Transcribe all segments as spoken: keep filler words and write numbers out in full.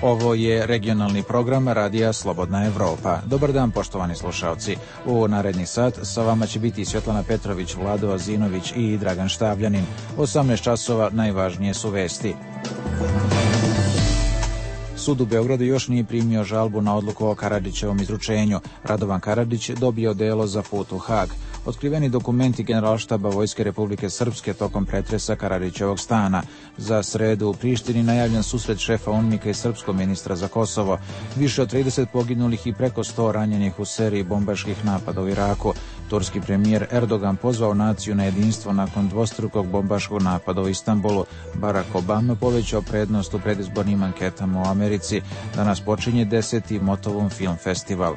Ovo je regionalni program Radija Slobodna Evropa. Dobar dan, poštovani slušalci. U naredni sat sa vama će biti Svjetlana Petrović, Vlado Azinović i Dragan Štavljanin. osamnaest časova najvažnije su vesti. Sud u Beogradu još nije primio žalbu na odluku o Karadžićevom izručenju. Radovan Karadžić dobio delo za put u Hag. Otkriveni dokumenti Generalštaba Vojske Republike Srpske tokom pretresa Karadžićevog stana. Za sredu u Prištini najavljen susret šefa UNMIK-a i srpskog ministra za Kosovo. Više od trideset poginulih i preko sto ranjenih u seriji bombaških napada u Iraku. Turski premijer Erdogan pozvao naciju na jedinstvo nakon dvostrukog bombaškog napada u Istanbulu. Barack Obama povećao prednost u predizbornim anketama u Americi. Danas počinje deseti Motovun film festival.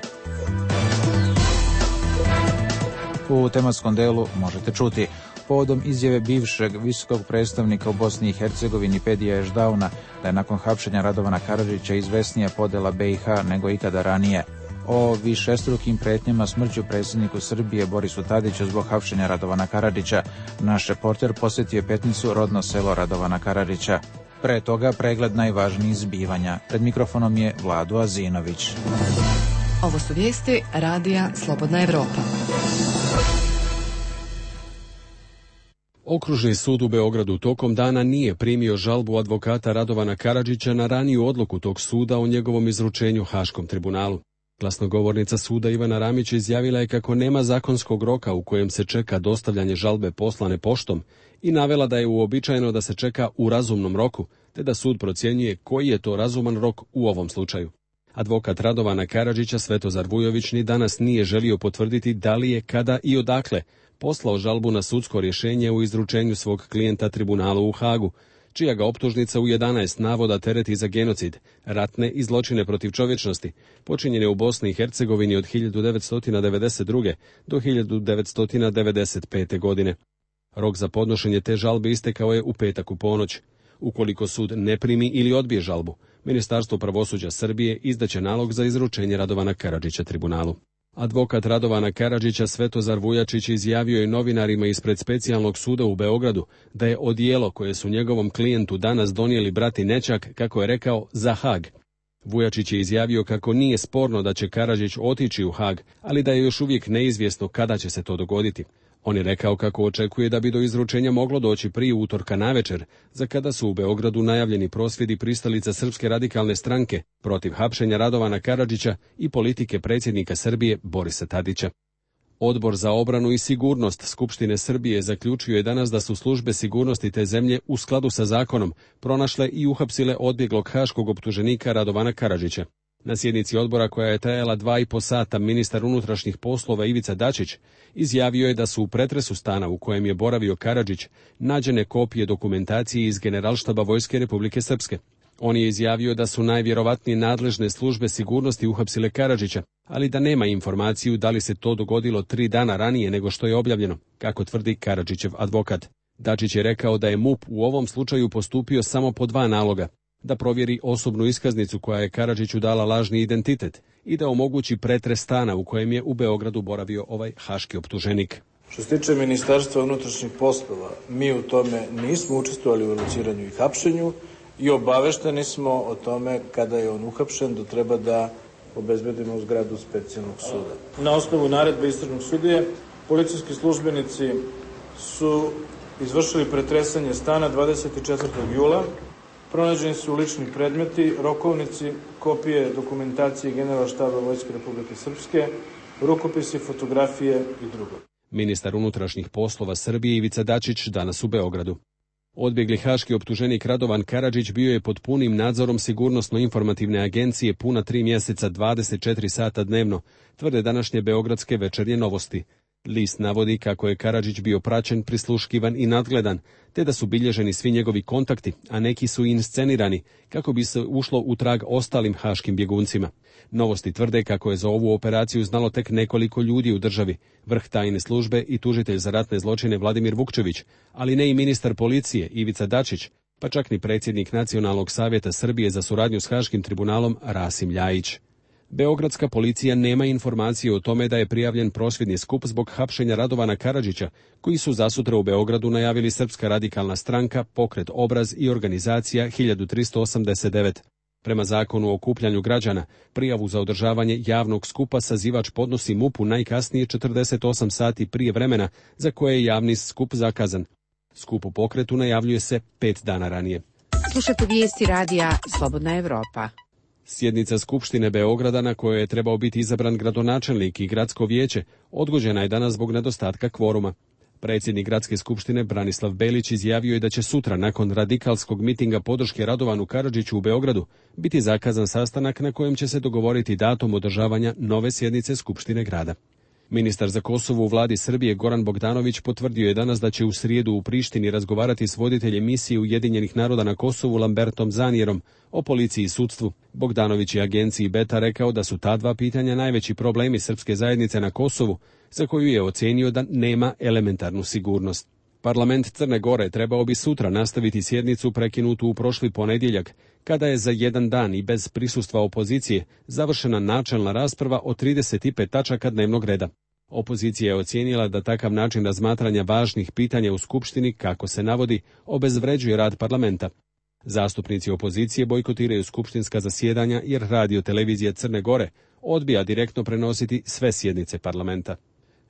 U tematskom delu možete čuti: povodom izjave bivšeg visokog predstavnika u Bosni i Hercegovini Pedija Ešdauna da je nakon hapšenja Radovana Karadžića izvesnija podela B i H nego ikada ranije. O višestrukim pretnjama smrću predsjedniku Srbije Borisu Tadiću zbog hapšenja Radovana Karadžića. Naš reporter posjetio Petnicu, rodno selo Radovana Karadžića. Pre toga pregled najvažnijih zbivanja. Pred mikrofonom je Vlado Azinović. Ovo su vijesti Radija Slobodna Evropa. Okružni sud u Beogradu tokom dana nije primio žalbu advokata Radovana Karadžića na raniju odluku tog suda o njegovom izručenju Haškom tribunalu. Glasnogovornica suda Ivana Ramić izjavila je kako nema zakonskog roka u kojem se čeka dostavljanje žalbe poslane poštom i navela da je uobičajeno da se čeka u razumnom roku, te da sud procjenjuje koji je to razuman rok u ovom slučaju. Advokat Radovana Karadžića Svetozar Vujović ni danas nije želio potvrditi da li je, kada i odakle poslao žalbu na sudsko rješenje u izručenju svog klijenta tribunalu u Hagu, čija ga optužnica u jedanaest navoda tereti za genocid, ratne i zločine protiv čovječnosti, počinjene u Bosni i Hercegovini od hiljadu devetsto devedeset druge. do hiljadu devetsto devedeset pete. godine. Rok za podnošenje te žalbe istekao je u petak u ponoć. Ukoliko sud ne primi ili odbije žalbu, Ministarstvo pravosuđa Srbije izdaće nalog za izručenje Radovana Karadžića tribunalu. Advokat Radovana Karadžića Svetozar Vujačić izjavio je novinarima ispred specijalnog suda u Beogradu da je odijelo koje su njegovom klijentu danas donijeli brati Nećak, kako je rekao, za Hag. Vujačić je izjavio kako nije sporno da će Karadžić otići u Hag, ali da je još uvijek neizvjesno kada će se to dogoditi. On je rekao kako očekuje da bi do izručenja moglo doći prije utorka navečer, za kada su u Beogradu najavljeni prosvjedi pristalica Srpske radikalne stranke protiv hapšenja Radovana Karadžića i politike predsjednika Srbije Borisa Tadića. Odbor za obranu i sigurnost Skupštine Srbije zaključio je danas da su službe sigurnosti te zemlje u skladu sa zakonom pronašle i uhapsile odbjeglog haškog optuženika Radovana Karadžića. Na sjednici odbora, koja je trajala dva i po sata, ministar unutrašnjih poslova Ivica Dačić izjavio je da su u pretresu stana u kojem je boravio Karadžić nađene kopije dokumentacije iz Generalštaba Vojske Republike Srpske. On je izjavio da su najvjerovatnije nadležne službe sigurnosti uhapsile Karadžića, ali da nema informaciju da li se to dogodilo tri dana ranije nego što je objavljeno, kako tvrdi Karadžićev advokat. Dačić je rekao da je M U P u ovom slučaju postupio samo po dva naloga: da provjeri osobnu iskaznicu koja je Karadžiću dala lažni identitet i da omogući pretres stana u kojem je u Beogradu boravio ovaj haški optuženik. Što se tiče Ministarstva unutrašnjih poslova, mi u tome nismo učestvovali u lociranju i hapšenju i obavešteni smo o tome kada je on uhapšen, da treba da obezbedimo zgradu specijalnog suda. Na osnovu naredbe istražnog sudije, policijski službenici su izvršili pretresanje stana dvadeset četvrtog jula. Pronađeni su lični predmeti, rokovnici, kopije dokumentacije Generalštaba Vojske Republike Srpske, rukopisi, fotografije i drugo. Ministar unutrašnjih poslova Srbije Ivica Dačić danas u Beogradu. Odbjegli haški optuženik Radovan Karadžić bio je pod punim nadzorom Sigurnosno-informativne agencije puna tri mjeseca dvadeset četiri sata dnevno, tvrde današnje beogradske Večernje novosti. List navodi kako je Karadžić bio praćen, prisluškivan i nadgledan, te da su bilježeni svi njegovi kontakti, a neki su i inscenirani, kako bi se ušlo u trag ostalim haškim bjeguncima. Novosti tvrde kako je za ovu operaciju znalo tek nekoliko ljudi u državi, vrh tajne službe i tužitelj za ratne zločine Vladimir Vukčević, ali ne i ministar policije Ivica Dačić, pa čak ni predsjednik Nacionalnog savjeta Srbije za suradnju s Haškim tribunalom Rasim Ljajić. Beogradska policija nema informacije o tome da je prijavljen prosvjedni skup zbog hapšenja Radovana Karadžića, koji su zasutra u Beogradu najavili Srpska radikalna stranka, Pokret Obraz i organizacija hiljadu tristo osamdeset devet. Prema zakonu o okupljanju građana, prijavu za održavanje javnog skupa sazivač podnosi M U P-u najkasnije četrdeset osam sati prije vremena za koje je javni skup zakazan. Skup u pokretu najavljuje se pet dana ranije. Slušate vijesti radija Slobodna Evropa. Sjednica Skupštine Beograda, na kojoj je trebao biti izabran gradonačelnik i gradsko vijeće, odgođena je danas zbog nedostatka kvoruma. Predsjednik Gradske skupštine Branislav Belić izjavio je da će sutra, nakon radikalskog mitinga podrške Radovanu Karadžiću u Beogradu, biti zakazan sastanak na kojem će se dogovoriti datum održavanja nove sjednice Skupštine grada. Ministar za Kosovo u vladi Srbije Goran Bogdanović potvrdio je danas da će u srijedu u Prištini razgovarati s voditeljem misije Ujedinjenih naroda na Kosovu Lambertom Zanijerom o policiji i sudstvu. Bogdanović je agenciji Beta rekao da su ta dva pitanja najveći problemi srpske zajednice na Kosovu, za koju je ocenio da nema elementarnu sigurnost. Parlament Crne Gore trebao bi sutra nastaviti sjednicu prekinutu u prošli ponedjeljak, kada je za jedan dan i bez prisustva opozicije završena načelna rasprava o trideset pet tačaka dnevnog reda. Opozicija je ocijenila da takav način razmatranja važnih pitanja u Skupštini, kako se navodi, obezvređuje rad parlamenta. Zastupnici opozicije bojkotiraju skupštinska zasjedanja jer radio televizija Crne Gore odbija direktno prenositi sve sjednice parlamenta.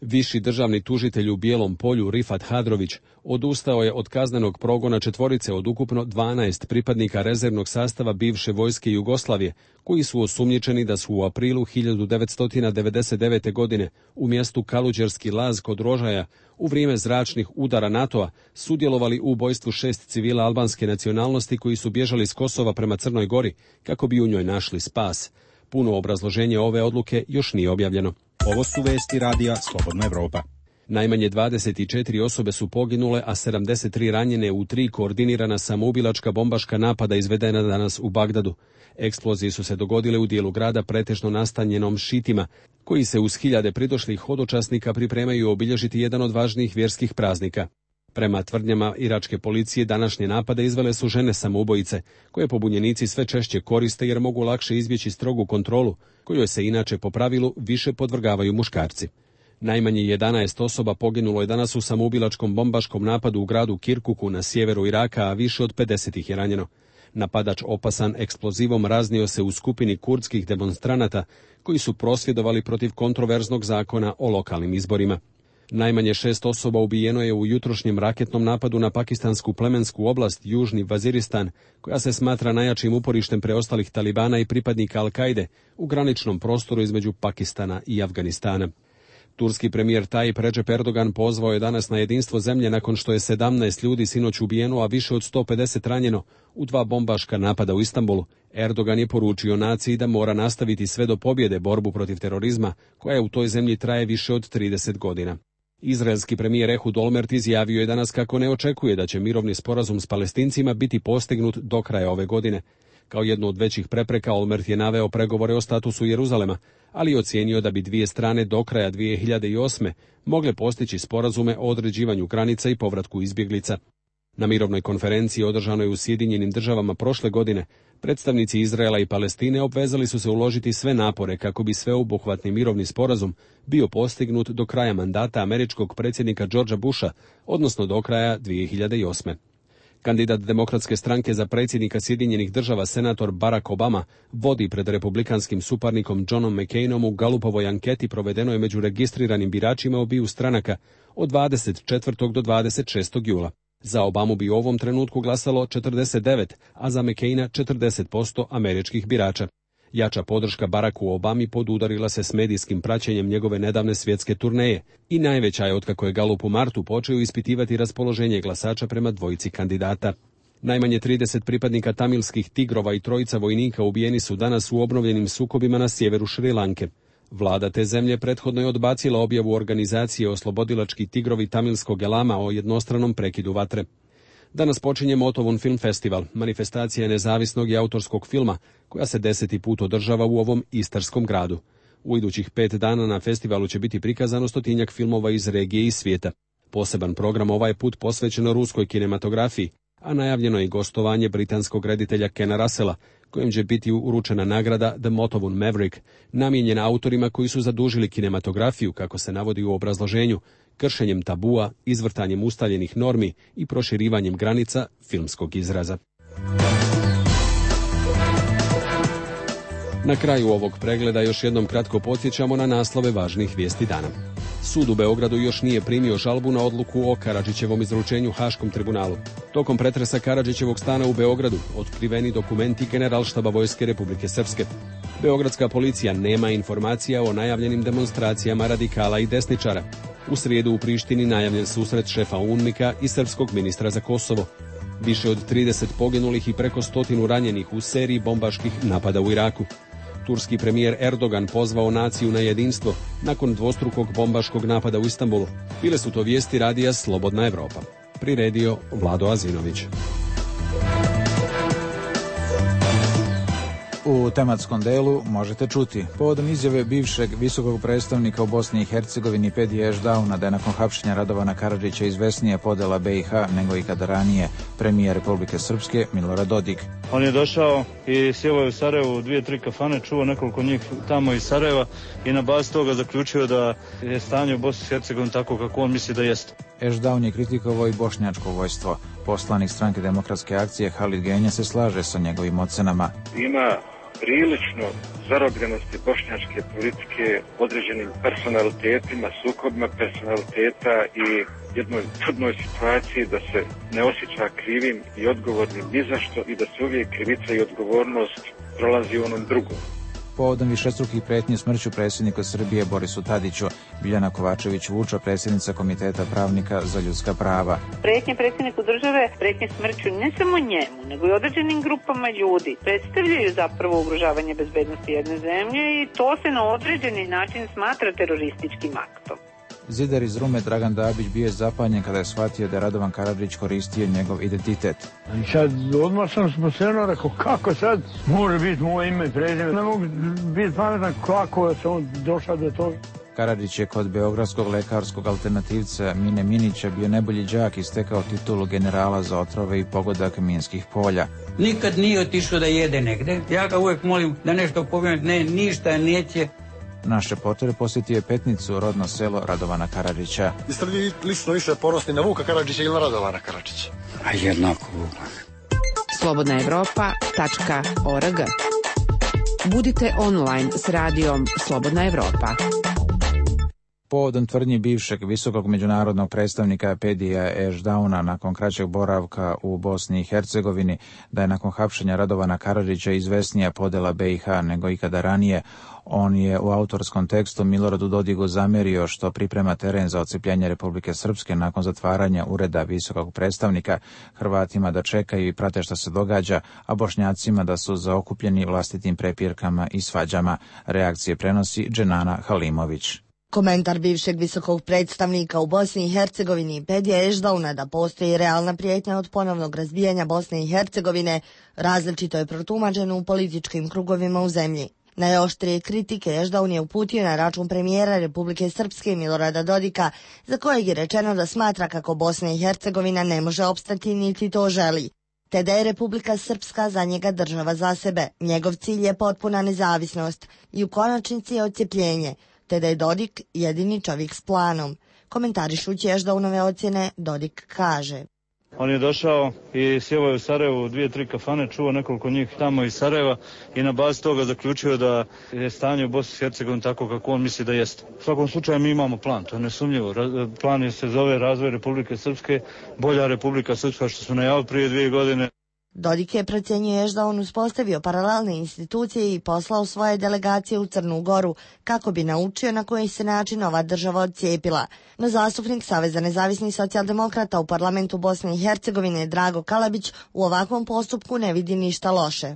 Viši državni tužitelj u Bijelom Polju Rifat Hadrović odustao je od kaznenog progona četvorice od ukupno dvanaest pripadnika rezervnog sastava bivše vojske Jugoslavije, koji su osumnjičeni da su u aprilu hiljadu devetsto devedeset devete. godine u mjestu Kaluđerski Laz kod Rožaja u vrijeme zračnih udara NATO-a sudjelovali u ubojstvu šest civila albanske nacionalnosti koji su bježali s Kosova prema Crnoj Gori kako bi u njoj našli spas. Puno obrazloženje ove odluke još nije objavljeno. Ovo su vesti radija Slobodna Evropa. Najmanje dvadeset četiri osobe su poginule, a sedamdeset tri ranjene u tri koordinirana samoubilačka bombaška napada izvedena danas u Bagdadu. Eksplozije su se dogodile u dijelu grada pretežno nastanjenom šitima, koji se uz hiljade pridošlih hodočasnika pripremaju obilježiti jedan od važnijih vjerskih praznika. Prema tvrdnjama iračke policije, današnje napade izvele su žene samoubojice, koje pobunjenici sve češće koriste jer mogu lakše izbjeći strogu kontrolu, kojoj se inače po pravilu više podvrgavaju muškarci. Najmanje jedanaest osoba poginulo je danas u samoubilačkom bombaškom napadu u gradu Kirkuku na sjeveru Iraka, a više od pedeset ih je ranjeno. Napadač opasan eksplozivom raznio se u skupini kurdskih demonstranata koji su prosvjedovali protiv kontroverznog zakona o lokalnim izborima. Najmanje šest osoba ubijeno je u jutrošnjem raketnom napadu na pakistansku plemensku oblast Južni Vaziristan, koja se smatra najjačim uporištem preostalih talibana i pripadnika Al-Kaide u graničnom prostoru između Pakistana i Afganistana. Turski premijer Tayyip Recep Erdogan pozvao je danas na jedinstvo zemlje nakon što je sedamnaest ljudi sinoć ubijeno, a više od sto pedeset ranjeno u dva bombaška napada u Istanbulu. Erdogan je poručio naciji da mora nastaviti sve do pobjede borbu protiv terorizma, koja u toj zemlji traje više od trideset godina. Izraelski premijer Ehud Olmert izjavio je danas kako ne očekuje da će mirovni sporazum s Palestincima biti postignut do kraja ove godine. Kao jednu od većih prepreka Olmert je naveo pregovore o statusu Jeruzalema, ali je ocijenio da bi dvije strane do kraja dvije hiljade osme. mogle postići sporazume o određivanju granica i povratku izbjeglica. Na mirovnoj konferenciji održanoj u Sjedinjenim državama prošle godine, predstavnici Izraela i Palestine obvezali su se uložiti sve napore kako bi sveobuhvatni mirovni sporazum bio postignut do kraja mandata američkog predsjednika Georgea Busha, odnosno do kraja dvije hiljade osme. Kandidat Demokratske stranke za predsjednika Sjedinjenih država senator Barack Obama vodi pred republikanskim suparnikom Johnom McCainom u Galupovoj anketi provedenoj među registriranim biračima obiju stranaka od dvadeset četvrtog do dvadeset šestog jula. Za Obamu bi u ovom trenutku glasalo četrdeset devet, a za McCaina četrdeset posto američkih birača. Jača podrška Baracku Obami podudarila se s medijskim praćenjem njegove nedavne svjetske turneje i najveća je otkako je Galup u martu počeo ispitivati raspoloženje glasača prema dvojici kandidata. Najmanje trideset pripadnika tamilskih tigrova i trojica vojnika ubijeni su danas u obnovljenim sukobima na sjeveru Šrilanke. Vlada te zemlje prethodno je odbacila objavu organizacije Oslobodilački tigrovi tamilskog elama o jednostranom prekidu vatre. Danas počinje Motovun Film Festival, manifestacija nezavisnog i autorskog filma, koja se deseti put održava u ovom istarskom gradu. U idućih pet dana na festivalu će biti prikazano stotinjak filmova iz regije i svijeta. Poseban program ovaj put posvećeno ruskoj kinematografiji, a najavljeno je i gostovanje britanskog reditelja Kena Russella, kojem će biti uručena nagrada The Motovun Maverick, namijenjena autorima koji su zadužili kinematografiju, kako se navodi u obrazloženju, kršenjem tabua, izvrtanjem ustaljenih normi i proširivanjem granica filmskog izraza. Na kraju ovog pregleda još jednom kratko podsjećamo na naslove važnih vijesti dana. Sud u Beogradu još nije primio žalbu na odluku o Karadžićevom izručenju Haškom tribunalu. Tokom pretresa Karadžićevog stana u Beogradu otkriveni dokumenti Generalštaba Vojske Republike Srpske. Beogradska policija nema informacija o najavljenim demonstracijama radikala i desničara. U srijedu u Prištini najavljen susret šefa UNMIK-a i srpskog ministra za Kosovo. Više od trideset poginulih i preko stotinu ranjenih u seriji bombaških napada u Iraku. Turski premijer Erdogan pozvao naciju na jedinstvo nakon dvostrukog bombaškog napada u Istanbulu. Bile su to vijesti radija Slobodna Evropa. Priredio Vlado Azinović. U tematskom delu možete čuti povodom izjave bivšeg visokog predstavnika u Bosni i Hercegovini Pedija Ešdauna da je nakon hapšenja Radovana Karadžića izvesnija podela be i ha nego ikada ranije, premijer Republike Srpske Milorad Dodik. On je došao i sjeo je u Sarajevu u dvije, tri kafane, čuo nekoliko njih tamo iz Sarajeva i na bazi toga zaključio da je stanje u Bosni i Hercegovini tako kako on misli da jeste. Ešdaun je kritikovao i bošnjačko vojstvo. Poslanik Stranke demokratske akcije Halid Genja se slaže sa njegovim ocenama. Ima prilično zarobljenosti bošnjačke politike određenim personalitetima, sukobima personaliteta i jednoj čudnoj situaciji da se ne osjeća krivim i odgovornim ni za što i da se uvijek krivica i odgovornost prolazi u onom drugom. Povodom višestrukih pretnji smrću predsjednika Srbije Borisu Tadiću, Biljana Kovačević-Vuča, predsjednica Komiteta pravnika za ljudska prava. Pretnje predsjedniku države, pretnje smrću ne samo njemu, nego i određenim grupama ljudi predstavljaju zapravo ugrožavanje bezbednosti jedne zemlje i to se na određeni način smatra terorističkim aktom. Zidar iz Rume Dragan Dabić bio je zapanjen kada je shvatio da je Radovan Karadžić koristio njegov identitet. I sad odmah sam sposebno rekao kako sad može biti moje ime i prezime. Ne mogu biti pametan kako je se on došao do toga. Karadžić je kod beogradskog lekarskog alternativca Mine Minića bio najbolji đak i stekao titulu generala za otrove i pogodak minskih polja. Nikad nije otišao da jede negde. Ja ga uvijek molim da nešto povijem, ne, ništa neće. Naš reporter posjetio je Petnicu, rodno selo Radovana Karadžića. Jeste li lično više ponosni na Vuka Karadžića ili na Radovana Karadžića? A jednako Vuka. slobodna evropa tačka org. Budite online s radijom Slobodna Evropa. Povodom tvrdnji bivšeg visokog međunarodnog predstavnika Pedija Ešdauna nakon kraćeg boravka u Bosni i Hercegovini da je nakon hapšenja Radovana Karadžića izvesnija podela be i ha nego ikada ranije, on je u autorskom tekstu Miloradu Dodigu zamerio što priprema teren za odcjepljenje Republike Srpske nakon zatvaranja ureda visokog predstavnika, Hrvatima da čekaju i prate što se događa, a Bošnjacima da su zaokupljeni vlastitim prepirkama i svađama. Reakcije prenosi Dženana Halimović. Komentar bivšeg visokog predstavnika u Bosni i Hercegovini Pedija Ešdauna da postoji realna prijetnja od ponovnog razbijanja Bosne i Hercegovine različito je protumačeno u političkim krugovima u zemlji. Najoštrije kritike Ešdaun je uputio na račun premijera Republike Srpske Milorada Dodika, za kojeg je rečeno da smatra kako Bosna i Hercegovina ne može opstati niti to želi, te da je Republika Srpska za njega država za sebe. Njegov cilj je potpuna nezavisnost i u konačnici je odcjepljenje, te da je Dodik jedini čovjek s planom. Komentarišući Ešdaunove ocjene, Dodik kaže: On je došao i sjeo je u Sarajevu u dvije, tri kafane, čuo nekoliko njih tamo iz Sarajeva i na bazi toga zaključio da je stanje u Bosni i Hercegovini tako kako on misli da jeste. U svakom slučaju mi imamo plan, to je nesumnjivo. Plan se zove razvoj Republike Srpske, bolja Republika Srpska što su najavili prije dvije godine. Dodik je procjenjuje da on uspostavio paralelne institucije i poslao svoje delegacije u Crnu Goru kako bi naučio na koji se način ova država odcijepila. No zastupnik Saveza nezavisnih socijaldemokrata u parlamentu Bosne i Hercegovine Drago Kalabić u ovakvom postupku ne vidi ništa loše.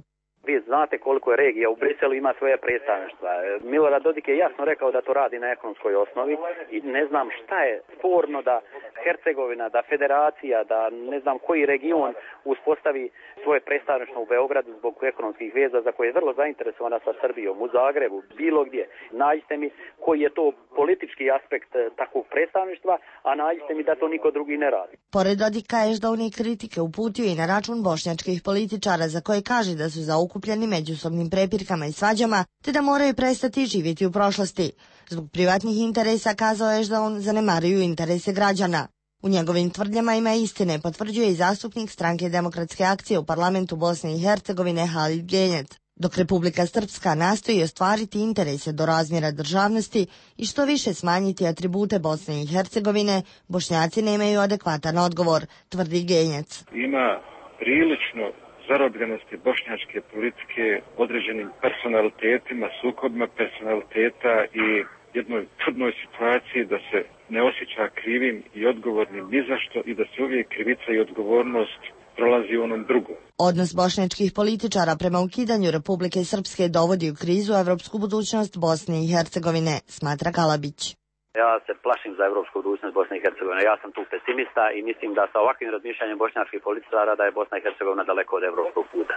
Vi znate koliko je regija u Briselu ima svoje predstavništva. Milorad Dodik je jasno rekao da to radi na ekonomskoj osnovi i ne znam šta je sporno da Hercegovina, da federacija, da ne znam koji region uspostavi svoje predstavništvo u Beogradu zbog ekonomskih veza za koje je vrlo zainteresovana sa Srbijom, u Zagrebu, bilo gdje. Nađite mi koji je to politički aspekt takvog predstavništva, a nađite mi da to niko drugi ne radi. Pored Dodika Ešdaun i kritike uputio i na račun bošnjačkih političara za koje kaže da su zaokupljeni međusobnim prepirkama i svađama, te da moraju prestati živjeti u prošlosti. Zbog privatnih interesa, kazao Ešdaun, zanemaruju interese građana. U njegovim tvrdnjama ima istine, potvrđuje i zastupnik Stranke demokratske akcije u parlamentu Bosne i Hercegovine Halid Genjet. dok Republika Srpska nastoji ostvariti interese do razmjera državnosti i što više smanjiti atribute Bosne i Hercegovine, Bošnjaci nemaju adekvatan odgovor, tvrdi Genjac. Ima prilično zarobljenosti bošnjačke politike određenim personalitetima, sukobima personaliteta i jednoj čudnoj situaciji da se ne osjeća krivim i odgovornim ni za što i da se uvijek krivica i odgovornost prolazi u onom drugom. Odnos bošnjačkih političara prema ukidanju Republike Srpske dovodi u krizu evropsku budućnost Bosne i Hercegovine, smatra Kalabić. Ja se plašim za evropsku budućnost Bosne i Hercegovine. Ja sam tu pesimista i mislim da sa ovakvim razmišljanjem bošnjačkih političara da je Bosna i Hercegovina daleko od evropskog puta.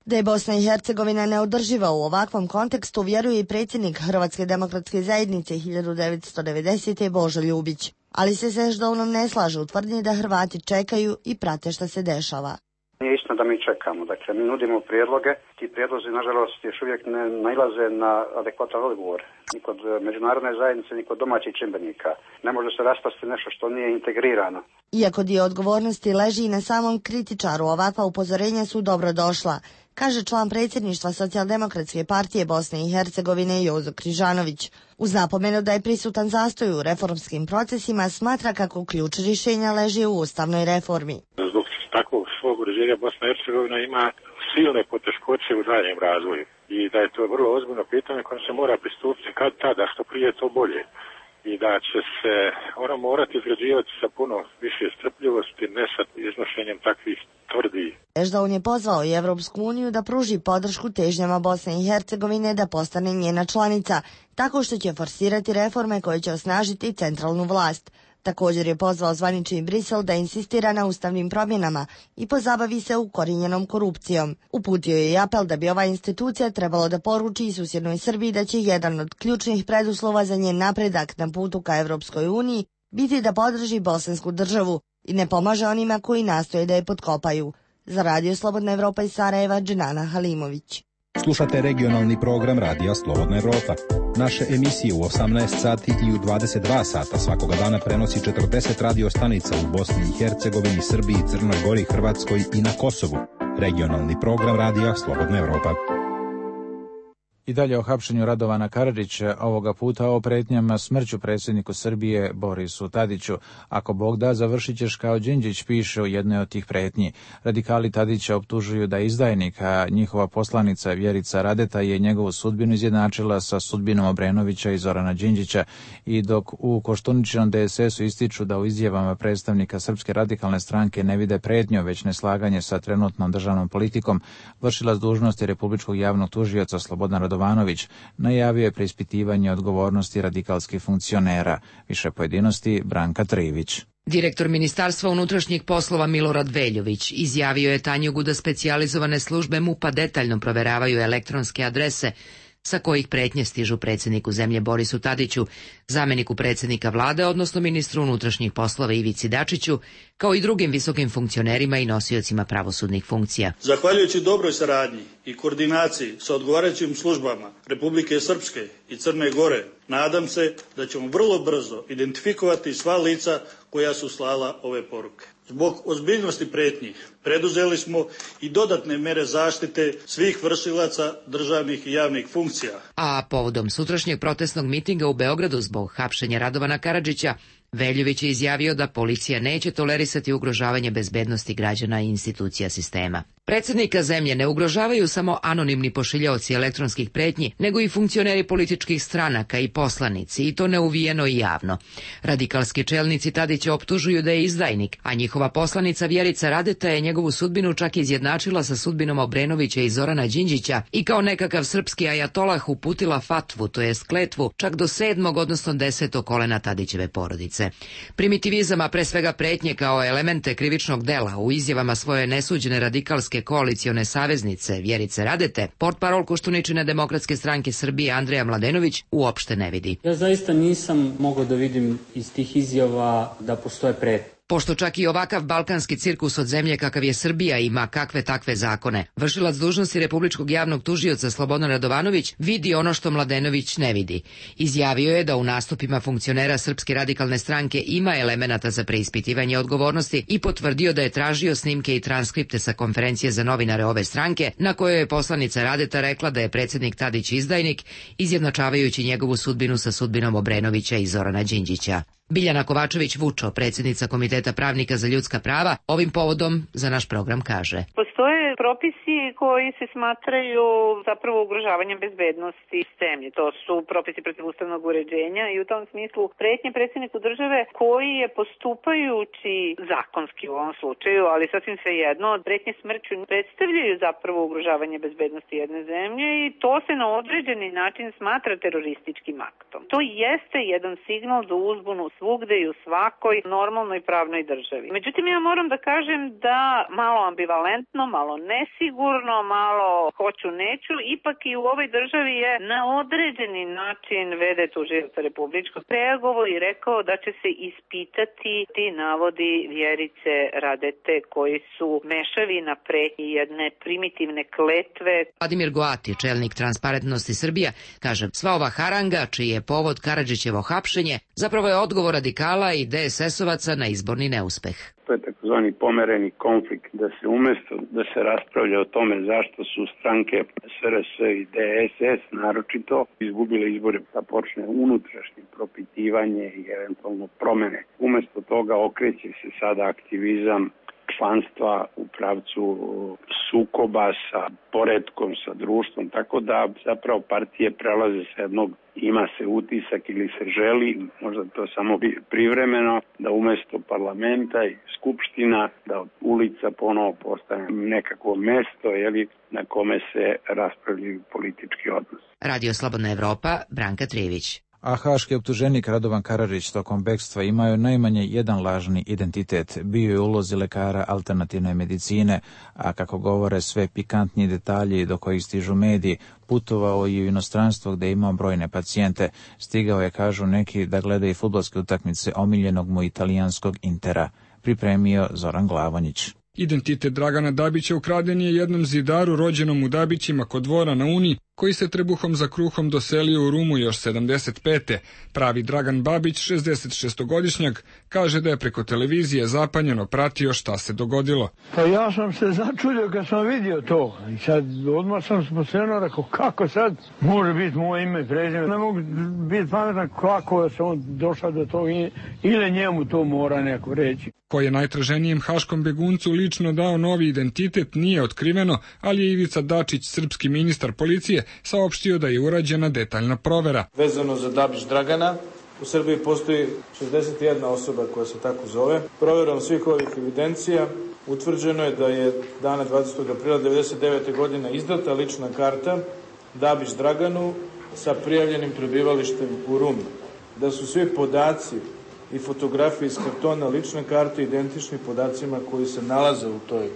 Da je Bosna i Hercegovina neodrživa u ovakvom kontekstu vjeruje i predsjednik Hrvatske demokratske zajednice hiljadu devetsto devedesete. Božo Ljubić. Ali se s Ešdounom ne slaže u tvrdnji da Hrvati čekaju i prate šta se dešava. Nije istina da mi čekamo, dakle mi nudimo prijedloge, ti prijedlozi nažalost još uvijek ne nailaze na adekvatan odgovor. Ni kod međunarodne zajednice, ni kod domaćih čimbenika. Ne može se raspasti nešto što nije integrirano. Iako dio odgovornosti leži i na samom kritičaru, ovakva upozorenja su dobro došla, kaže član predsjedništva Socijaldemokratske partije Bosne i Hercegovine Jozo Križanović. Uz napomenu da je prisutan zastoj u reformskim procesima, smatra kako ključ rješenja leži u ustavnoj reformi. Zbog takvog svog uređenja Bosna i Hercegovina ima silne poteškoće u daljem razvoju i da je to vrlo ozbiljno pitanje kojem se mora pristupiti kad tada, što prije to bolje. I da će se ona morati izgrađivati sa puno više strpljivosti, ne sa iznošenjem takvih tvrdih. Ešdoun je pozvao i Evropsku uniju da pruži podršku težnjama Bosne i Hercegovine da postane njena članica, tako što će forsirati reforme koje će osnažiti centralnu vlast. Također je pozvao zvanični Brisel da insistira na ustavnim promjenama i pozabavi se ukorijenjenom korupcijom. Uputio je i apel da bi ova institucija trebalo da poruči i susjednoj Srbiji da će jedan od ključnih preduslova za njen napredak na putu ka Evropskoj uniji biti da podrži bosansku državu i ne pomaže onima koji nastoje da je potkopaju. Za Radio Slobodna Evropa iz Sarajeva, Dženana Halimović. Slušate regionalni program Radija Slobodna Evropa. Naše emisije u osamnaest sati i u dvadeset dva sata svakoga dana prenosi četrdeset radio stanica u Bosni i Hercegovini, Srbiji, Crnoj Gori, Hrvatskoj i na Kosovu. Regionalni program Radija Slobodna Evropa. I dalje o hapšenju Radovana Karadžića, ovoga puta o pretnjama smrću predsjedniku Srbije Borisu Tadiću. Ako Bog da, završit ćeš kao Đinđić, piše u jednoj od tih pretnji. Radikali Tadića optužuju da je izdajnik, a njihova poslanica Vjerica Radeta je njegovu sudbinu izjednačila sa sudbinom Obrenovića i Zorana Đinđića. I dok u Koštuničinom de es esu ističu da u izjavama predstavnika Srpske radikalne stranke ne vide pretnju, već neslaganje sa trenutnom državnom politikom, vršilac dužnosti Republičkog javnog tužioca Slobodan Radovanović najavio je preispitivanje odgovornosti radikalskih funkcionera. Više pojedinosti Branka Trivić. Direktor Ministarstva unutrašnjih poslova Milorad Veljović izjavio je Tanjugu da specijalizovane službe MUP-a detaljno proveravaju elektronske adrese sa kojih pretnje stižu predsjedniku zemlje Borisu Tadiću, zamjeniku predsjednika vlade, odnosno ministru unutrašnjih poslova Ivici Dačiću, kao i drugim visokim funkcionerima i nosiocima pravosudnih funkcija. Zahvaljujući dobroj saradnji i koordinaciji sa odgovarajućim službama Republike Srpske i Crne Gore, nadam se da ćemo vrlo brzo identifikovati sva lica koja su slala ove poruke. Zbog ozbiljnosti pretnji preduzeli smo i dodatne mere zaštite svih vršilaca državnih i javnih funkcija. A povodom sutrašnjeg protestnog mitinga u Beogradu zbog hapšenja Radovana Karadžića, Veljović je izjavio da policija neće tolerisati ugrožavanje bezbednosti građana i institucija sistema. Predsjednika zemlje ne ugrožavaju samo anonimni pošiljaoci elektronskih pretnji, nego i funkcioneri političkih stranaka i poslanici, i to neuvijeno i javno. Radikalski čelnici Tadića optužuju da je izdajnik, a njihova poslanica Vjerica Radeta je njegovu sudbinu čak izjednačila sa sudbinom Obrenovića i Zorana Đinđića i kao nekakav srpski ajatolah uputila fatvu, to jest kletvu, čak do sedmog, odnosno desetog kolena Tadićeve porodice. Primitivizam, a pre svega pretnje kao elemente krivičnog dela u izjavama svoje nesuđene radikalske koalicione saveznice Vjerice Radete, portparol Koštuničine demokratske stranke Srbije Andreja Mladenović uopšte ne vidi. Ja zaista nisam mogao da vidim iz tih izjava da postoje pretnje. Pošto čak i ovakav balkanski cirkus od zemlje kakav je Srbija ima kakve takve zakone, vršilac dužnosti Republičkog javnog tužioca Slobodan Radovanović vidi ono što Mladenović ne vidi. Izjavio je da u nastupima funkcionera Srpske radikalne stranke ima elemenata za preispitivanje odgovornosti i potvrdio da je tražio snimke i transkripte sa konferencije za novinare ove stranke, na kojoj je poslanica Radeta rekla da je predsjednik Tadić izdajnik, izjednačavajući njegovu sudbinu sa sudbinom Obrenovića i Zorana Đinđića. Biljana Kovačević-Vučo, predsjednica Komiteta pravnika za ljudska prava, ovim povodom za naš program kaže: Postoje propisi koji se smatraju zapravo ugrožavanjem bezbednosti zemlje. To su propisi protivustavnog uređenja i u tom smislu pretnje predsjedniku države koji je postupajući zakonski u ovom slučaju, ali sasvim svejedno, pretnje smrću predstavljaju zapravo ugrožavanje bezbednosti jedne zemlje i to se na određeni način smatra terorističkim aktom. To jeste jedan signal za uzbunu svugde i u svakoj normalnoj pravnoj državi. Međutim, ja moram da kažem da malo ambivalentno, malo nesigurno, malo hoću neću, ipak i u ovoj državi je na određeni način V D tužioca republičkog reagovao i rekao da će se ispitati ti navodi Vjerice Radete koji su mešavi na pretnji jedne primitivne kletve. Vladimir Goati, čelnik Transparentnosti Srbija, kaže: sva ova haranga, čiji je povod Karadžićevo hapšenje, zapravo je odgovor radikala i D S S-ovaca na izborni neuspeh. To je takozvani pomereni konflikt, da se umjesto da se raspravlja o tome zašto su stranke S R S i D S S naročito izgubile izbore, da počne unutrašnje propitivanje i eventualno promjene. Umjesto toga okreće se sada aktivizam članstva u pravcu sukoba sa poretkom, sa društvom, tako da zapravo partije prelaze sa jednog ima se utisak ili se želi, možda to samo privremeno, da umjesto parlamenta i skupština, da od ulica ponovo postane nekakvo mesto jeli, na kome se raspravljaju politički odnos. Radio Slobodna Evropa, Branka Trijević. A haški optuženik Radovan Karadžić tokom bekstva imao najmanje jedan lažni identitet. Bio je u ulozi lekara alternativne medicine, a kako govore sve pikantniji detalji do kojih stižu mediji, putovao je u inostranstvo gde je imao brojne pacijente. Stigao je, kažu neki, da gleda i fudbalske utakmice omiljenog mu italijanskog Intera. Pripremio Zoran Glavonjić. Identitet Dragana Dabića ukraden je jednom zidaru rođenom u Dabićima kod dvora na Uni, koji se trebuhom za kruhom doselio u Rumu još sedamdeset pete. Pravi Dragan Babić, šezdesetšestogodišnjak, kaže da je preko televizije zapanjeno pratio šta se dogodilo. Pa ja sam se začudio kad sam vidio to. I sad odmah sam sposobno rekao, kako sad može biti moje ime i prezime. Ne mogu biti pametan kako je se on došao do toga ili njemu to mora neko reći. Ko je najtraženijem haškom beguncu lično dao novi identitet nije otkriveno, ali je Ivica Dačić, srpski ministar policije, saopštio da je urađena detaljna provera. Vezano za Dabić Dragana, u Srbiji postoji šezdeset jedna osoba koja se tako zove. Proverom svih ovih evidencija utvrđeno je da je dana dvadesetog aprila devedeset devete. godine izdata lična karta Dabić Draganu sa prijavljenim prebivalištem u Rumi. Da su svi podaci i fotografije iz kartona lične karte identični podacima koji se nalaze u toj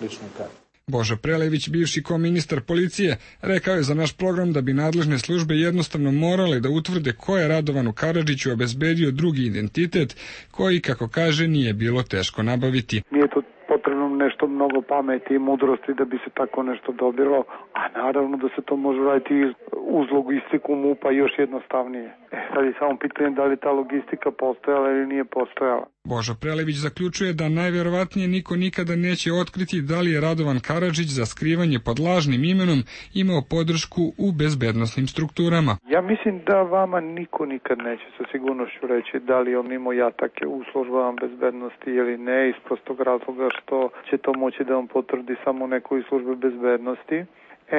ličnoj karti. Božo Prelević, bivši koministar policije, rekao je za naš program da bi nadležne službe jednostavno morale da utvrde ko je Radovanu Karadžiću obezbedio drugi identitet, koji, kako kaže, nije bilo teško nabaviti. Nije to potrebno nešto mnogo pameti i mudrosti da bi se tako nešto dobilo, a naravno da se to može raditi uz logistiku M U P-a još jednostavnije. E, sad je samo pitanje da li ta logistika postojala ili nije postojala. Božo Prelević zaključuje da najvjerovatnije niko nikada neće otkriti da li je Radovan Karadžić za skrivanje pod lažnim imenom imao podršku u bezbednosnim strukturama. Ja mislim da vama niko nikad neće sa sigurnošću reći da li on imao jatake u službama bezbednosti ili ne, iz prostog razloga što će to moći da vam potvrdi samo neko iz službe bezbednosti.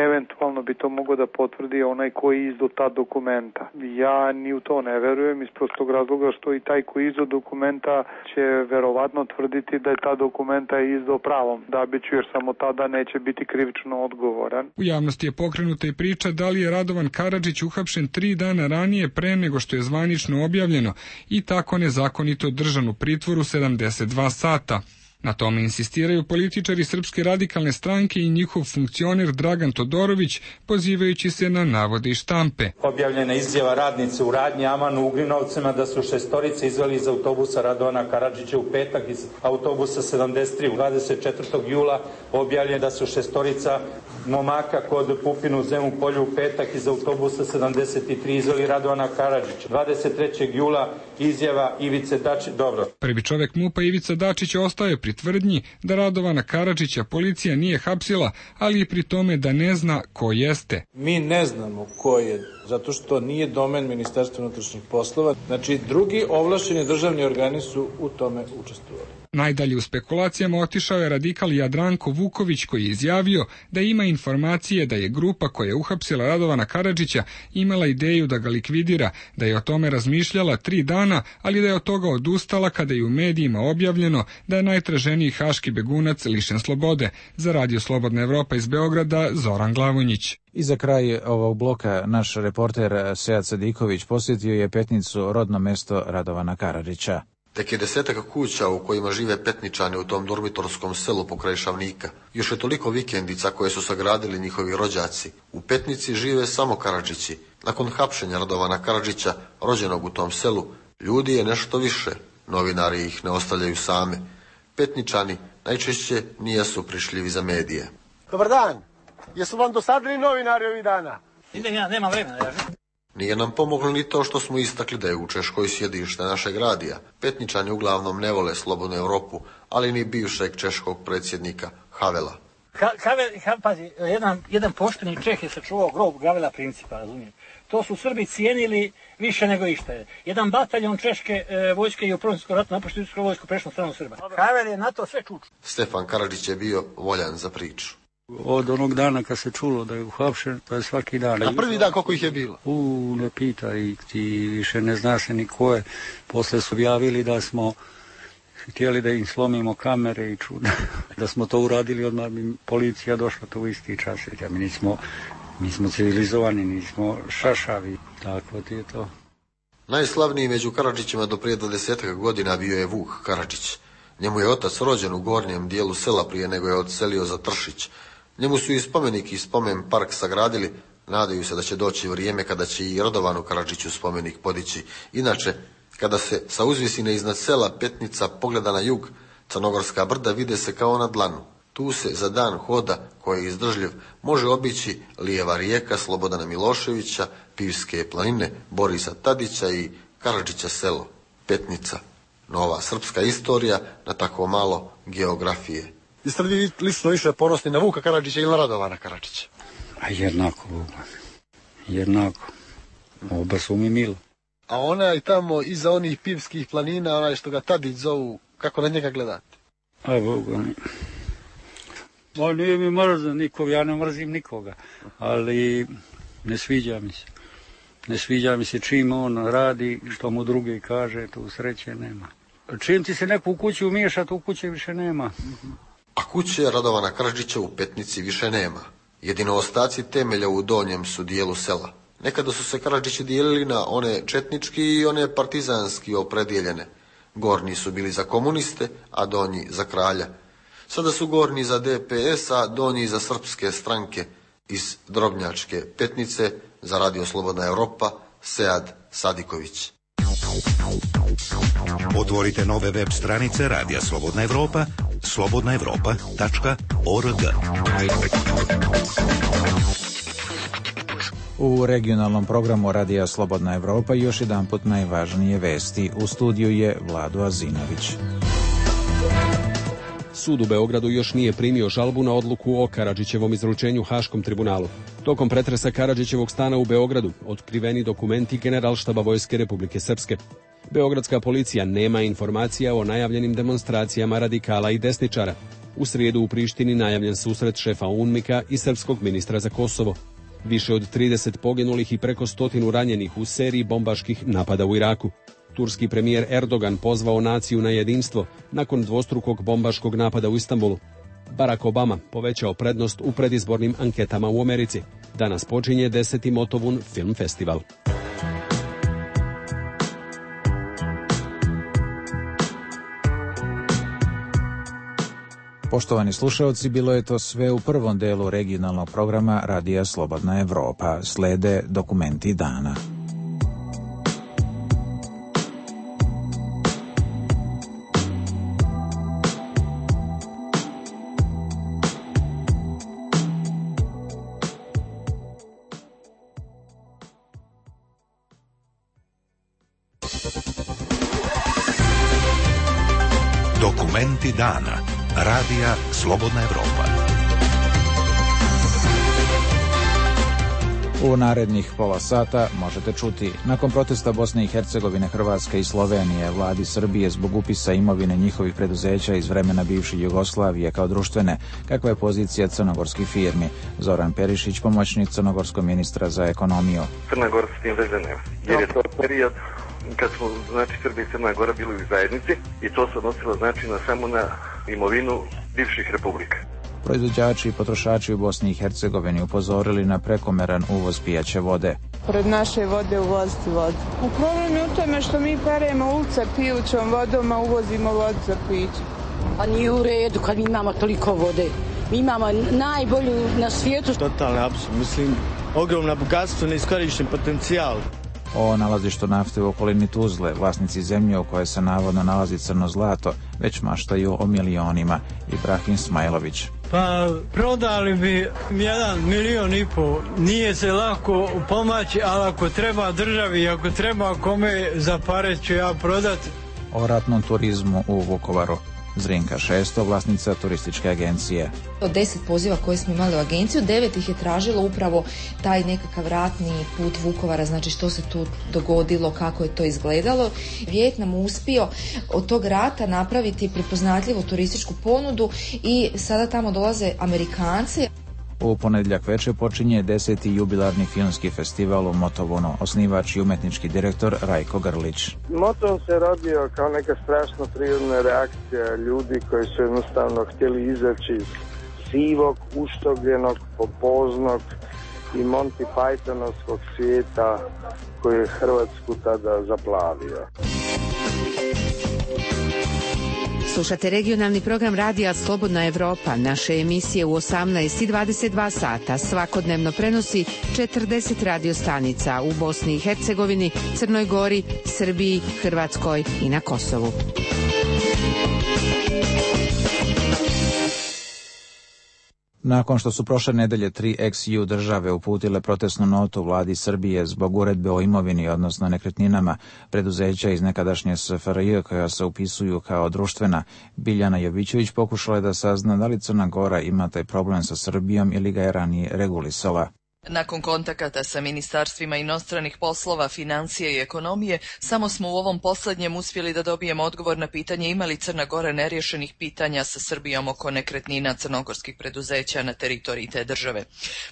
Eventualno bi to mogao da potvrdi onaj koji izdao ta dokumenta. Ja ni u to ne verujem iz prostog razloga što i taj koji izdao dokumenta će verovatno tvrditi da je ta dokumenta izdao pravom Dabiću, jer samo tada neće biti krivično odgovoran. U javnosti je pokrenuta i priča da li je Radovan Karadžić uhapšen tri dana ranije pre nego što je zvanično objavljeno i tako nezakonito držan u pritvoru sedamdeset dva sata. Na tome insistiraju političari Srpske radikalne stranke i njihov funkcioner Dragan Todorović, pozivajući se na navode iz štampe. Objavljena izjava radnice u radnji Aman u Ugrinovcima da su šestorice izveli iz autobusa Radovana Karadžića u petak iz autobusa sedamdeset tri. dvadeset četvrtog jula objavljeno da su šestorica momaka kod Pupina u Zemun polju u petak iz autobusa sedamdeset tri izveli Radovana Karadžića. dvadeset trećeg jula izjava Ivice Dačića. Dobro. Prvi čovek MUP-a Ivica Dačić ostaje pri tvrdnji da Radovana Karadžića policija nije hapsila, ali i pri tome da ne zna ko jeste. Mi ne znamo ko je, zato što nije domen Ministarstva unutrašnjih poslova. Znači, drugi ovlašćeni državni organi su u tome učestvovali. Najdalje u spekulacijama otišao je radikal Jadranko Vuković, koji je izjavio da ima informacije da je grupa koja je uhapsila Radovana Karadžića imala ideju da ga likvidira, da je o tome razmišljala tri dana, ali da je od toga odustala kada je u medijima objavljeno da je najtraženiji haški begunac lišen slobode. Za Radio Slobodna Evropa iz Beograda, Zoran Glavonjić. I za kraj ovog bloka naš reporter Sead Sadiković posjetio je Petnicu, rodno mesto Radovana Karadžića. Tek je desetaka kuća u kojima žive Petničani u tom dormitorskom selu pokraj Šavnika. Još je toliko vikendica koje su sagradili njihovi rođaci. U Petnici žive samo Karadžići. Nakon hapšenja Radovana Karadžića, rođenog u tom selu, ljudi je nešto više. Novinari ih ne ostavljaju same. Petničani najčešće nijesu prišljivi za medije. Dobar dan. Jesu vam dosadili novinari ovih dana? Idem ja, nema vremena. Ja. Nije nam pomoglo ni to što smo istakli da je u Češkoj sjedište našeg radija. Petničani uglavnom ne vole Slobodnu Evropu, ali ni bivšeg češkog predsjednika Havela. Ha, Havel, ha, pazi, jedan, jedan pošteni Čeh je sačuvao grob Gavela Principa, razumijem. To su Srbi cijenili više nego išta je. Jedan bataljon češke e, vojske je u Prvom svjetskom ratu napuštio Srpsku vojsku prešlo stranu Srba. Havel je na to sve čuču. Stefan Karadžić je bio voljan za priču. Od onog dana kad se čulo da je uhapšen, to je svaki dan. A prvi dan koliko ih je bilo? U, ne pitaj, ti više ne zna se ni ko je. Posle su javili da smo htjeli da im slomimo kamere i čuda. Da smo to uradili, odmah bi policija došla to u isti čas. Ja, mi, nismo, mi smo civilizovani, nismo šašavi. Tako ti je to. Najslavniji među Karadžićima do prije dvadesetak godina bio je Vuk Karadžić. Njemu je otac rođen u gornjem dijelu sela prije nego je odselio za Tršić. Njemu su i spomenik i spomen park sagradili, nadaju se da će doći vrijeme kada će i Radovanu Karadžiću spomenik podići. Inače, kada se sa uzvisine iznad sela Petnica pogleda na jug, Crnogorska brda vide se kao na dlanu. Tu se za dan hoda, koji je izdržljiv, može obići Lijeva rijeka Slobodana Miloševića, Pivske planine, Borisa Tadića i Karadžića selo, Petnica. Nova srpska istorija na tako malo geografije. Jeste li vi lično više ponosni na Vuka Karadžića ili na Radovana Karadžića? A jednako, Vuka. Jednako. Oba su mi milo. A onaj tamo iza onih Pivskih planina, onaj što ga Tadić zovu, kako na njega gledate? A Boga mi. Ma nije mi mrzan nikog, ja ne mrzim nikoga. Ali ne sviđa mi se. Ne sviđa mi se čim on radi, što mu drugi kaže, tu sreće nema. Čim ti se neko u kući umiješa, tu kuće više nema. A kuće Radovana Karadžića u Petnici više nema. Jedino ostaci temelja u donjem su dijelu sela. Nekada su se Karadžići dijelili na one četnički i one partizanski opredijeljene. Gornji su bili za komuniste, a donji za kralja. Sada su gornji za D P S, a donji za srpske stranke. Iz Drobnjačke Petnice za Radio Slobodna Evropa, Sead Sadiković. Otvorite nove web stranice Radija Slobodna Evropa, slobodna evropa tačka org. U regionalnom programu Radija Slobodna Evropa još jedan put najvažnije vesti. U studiju je Vlado Azinović. Sud u Beogradu još nije primio žalbu na odluku o Karadžićevom izručenju Haškom tribunalu. Tokom pretresa Karadžićevog stana u Beogradu otkriveni dokumenti Generalštaba Vojske Republike Srpske. Beogradska policija nema informacija o najavljenim demonstracijama radikala i desničara. U srijedu u Prištini najavljen susret šefa UNMIK-a i srpskog ministra za Kosovo. Više od trideset poginulih i preko stotinu ranjenih u seriji bombaških napada u Iraku. Turski premijer Erdogan pozvao naciju na jedinstvo nakon dvostrukog bombaškog napada u Istanbulu. Barack Obama povećao prednost u predizbornim anketama u Americi. Danas počinje deseti Motovun film festival. Poštovani slušaoci, bilo je to sve u prvom delu regionalnog programa Radija Slobodna Evropa. Slede dokumenti dana. Dokumenti dana. Radija Slobodna Evropa. U narednih pola sata možete čuti: nakon protesta Bosne i Hercegovine, Hrvatske i Slovenije, vladi Srbije zbog upisa imovine njihovih preduzeća iz vremena bivše Jugoslavije kao društvene, kakva je pozicija crnogorskih firmi? Zoran Perišić, pomoćnik crnogorskog ministra za ekonomiju. Crna Gora s tim veze nema, jer je to period kad smo, znači, Srbija i Crna Gora bili u zajednici i to se odnosilo, znači, na samo na imovinu bivših republika. Proizvođači i potrošači u Bosni i Hercegovini upozorili na prekomeran uvoz pijaće vode. Pored naše vode uvoziti vodu. U problem je u tome što mi peremo ulice pijućom vodom, a uvozimo vodu za piće. Pa nije u redu kad mi imamo toliko vode. Mi imamo najbolju na svijetu. Totalni apsurd, mislim, ogromna bogatstvo, neiskorišten potencijal. O nalazištu nafte u okolini Tuzle, vlasnici zemlje u kojoj se navodno nalazi crno zlato, već maštaju o milionima. Ibrahim Smajlović. Pa prodali bi jedan milion i po. Nije se lako pomaći, ali ako treba državi, ako treba kome za pare ću ja prodati. O ratnom turizmu u Vukovaru. Zrinka Šesto, vlasnica turističke agencije. Od deset poziva koje smo imali u agenciju, devet ih je tražilo upravo taj nekakav ratni put Vukovara, znači što se tu dogodilo, kako je to izgledalo. Vijetnam uspio od tog rata napraviti prepoznatljivu turističku ponudu i sada tamo dolaze Amerikanci. U ponedjeljak večer počinje deseti jubilarni filmski festival u Motovunu. Osnivač i umetnički direktor Rajko Grlić. Motovun se rodio kao neka strašno prirodna reakcija ljudi koji su jednostavno htjeli izaći iz sivog, uštogljenog, popoznog i Monty Pythonovskog svijeta koji je Hrvatsku tada zaplavio. Slušate regionalni program Radija Slobodna Evropa. Naše emisije u osamnaest i dvadeset dva sata svakodnevno prenosi četrdeset radio stanica u Bosni i Hercegovini, Crnoj Gori, Srbiji, Hrvatskoj i na Kosovu. Nakon što su prošle nedelje tri ex-ju države uputile protestnu notu vladi Srbije zbog uredbe o imovini, odnosno nekretninama preduzeća iz nekadašnje S F R J koja se upisuju kao društvena, Biljana Jovićević pokušala je da sazna da li Crna Gora ima taj problem sa Srbijom ili ga je ranije regulisala. Nakon kontakata sa ministarstvima inostranih poslova, financije i ekonomije, samo smo u ovom posljednjem uspjeli da dobijemo odgovor na pitanje ima li Crna Gora neriješenih pitanja sa Srbijom oko nekretnina crnogorskih preduzeća na teritoriji te države.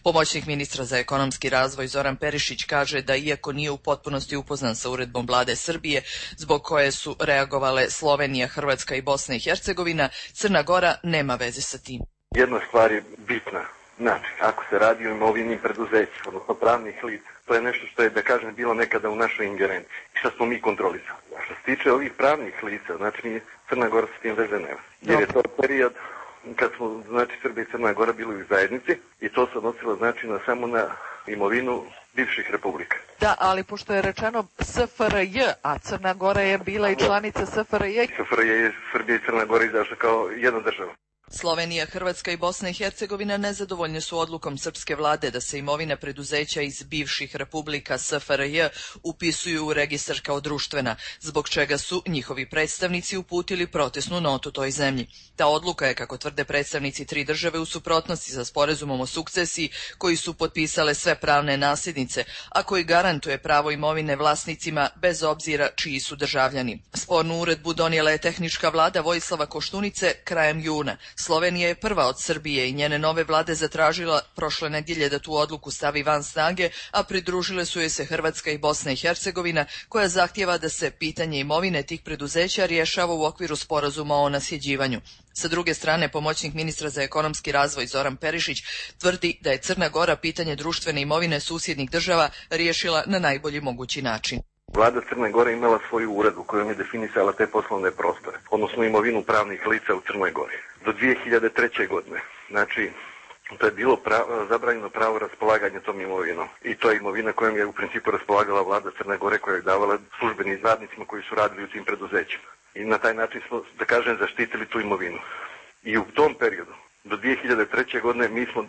Pomoćnik ministra za ekonomski razvoj Zoran Perišić kaže da iako nije u potpunosti upoznan sa uredbom vlade Srbije, zbog koje su reagovale Slovenija, Hrvatska i Bosna i Hercegovina, Crna Gora nema veze sa tim. Jedna stvar je bitna. Znači, ako se radi o imovinim preduzećima, odnosno pravnih lica, to je nešto što je, da kažem, bilo nekada u našoj ingerenciji i što smo mi kontrolisali. A što se tiče ovih pravnih lica, znači Crna Gora s tim veze nema. Jer je to period kad smo, znači, Srbija i Crna Gora bili u zajednici i to se odnosilo, znači, na, samo na imovinu bivših republika. Da, ali pošto je rečeno S F R J, a Crna Gora je bila i članica S F R J. S F R J je Srbija i Crna Gora izašla kao jedna država. Slovenija, Hrvatska i Bosna i Hercegovina nezadovoljne su odlukom srpske vlade da se imovina preduzeća iz bivših republika S F R J upisuju u registar kao društvena, zbog čega su njihovi predstavnici uputili protestnu notu toj zemlji. Ta odluka je, kako tvrde predstavnici tri države, u suprotnosti sa sporazumom o sukcesiji koji su potpisale sve pravne nasljednice, a koji garantuje pravo imovine vlasnicima bez obzira čiji su državljani. Spornu uredbu donijela je tehnička vlada Vojislava Koštunice krajem juna. Slovenija je prva od Srbije i njene nove vlade zatražila prošle nedjelje da tu odluku stavi van snage, a pridružile su joj se Hrvatska i Bosna i Hercegovina, koja zahtijeva da se pitanje imovine tih preduzeća rješava u okviru sporazuma o nasljeđivanju. Sa druge strane, pomoćnik ministra za ekonomski razvoj Zoran Perišić tvrdi da je Crna Gora pitanje društvene imovine susjednih država riješila na najbolji mogući način. Vlada Crne Gore imala svoju uredbu kojom je definisala te poslovne prostore, odnosno imovinu pravnih lica u Crnoj Gori. do dvije hiljade treće. godine. Znači, to je bilo pravo, zabranjeno pravo raspolaganja tom imovinom. I to je imovina kojom je u principu raspolagala vlada Crne Gore, koja je davala službenim radnicima koji su radili u tim preduzećima. I na taj način smo, da kažem, zaštitili tu imovinu. I u tom periodu, do dvije hiljade treće. godine, mi smo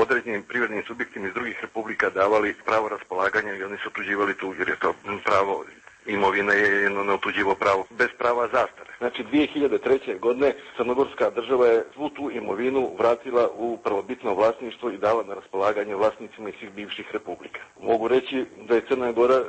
određenim privrednim subjektima iz drugih republika davali pravo raspolaganja i oni su otuđivali tu, jer je to pravo imovina je jedno neotuđivo pravo bez prava zastare. Znači dvije hiljade treće. godine crnogorska država je svu tu imovinu vratila u prvobitno vlasništvo i dala na raspolaganje vlasnicima iz svih bivših republika. Mogu reći da je Crna Gora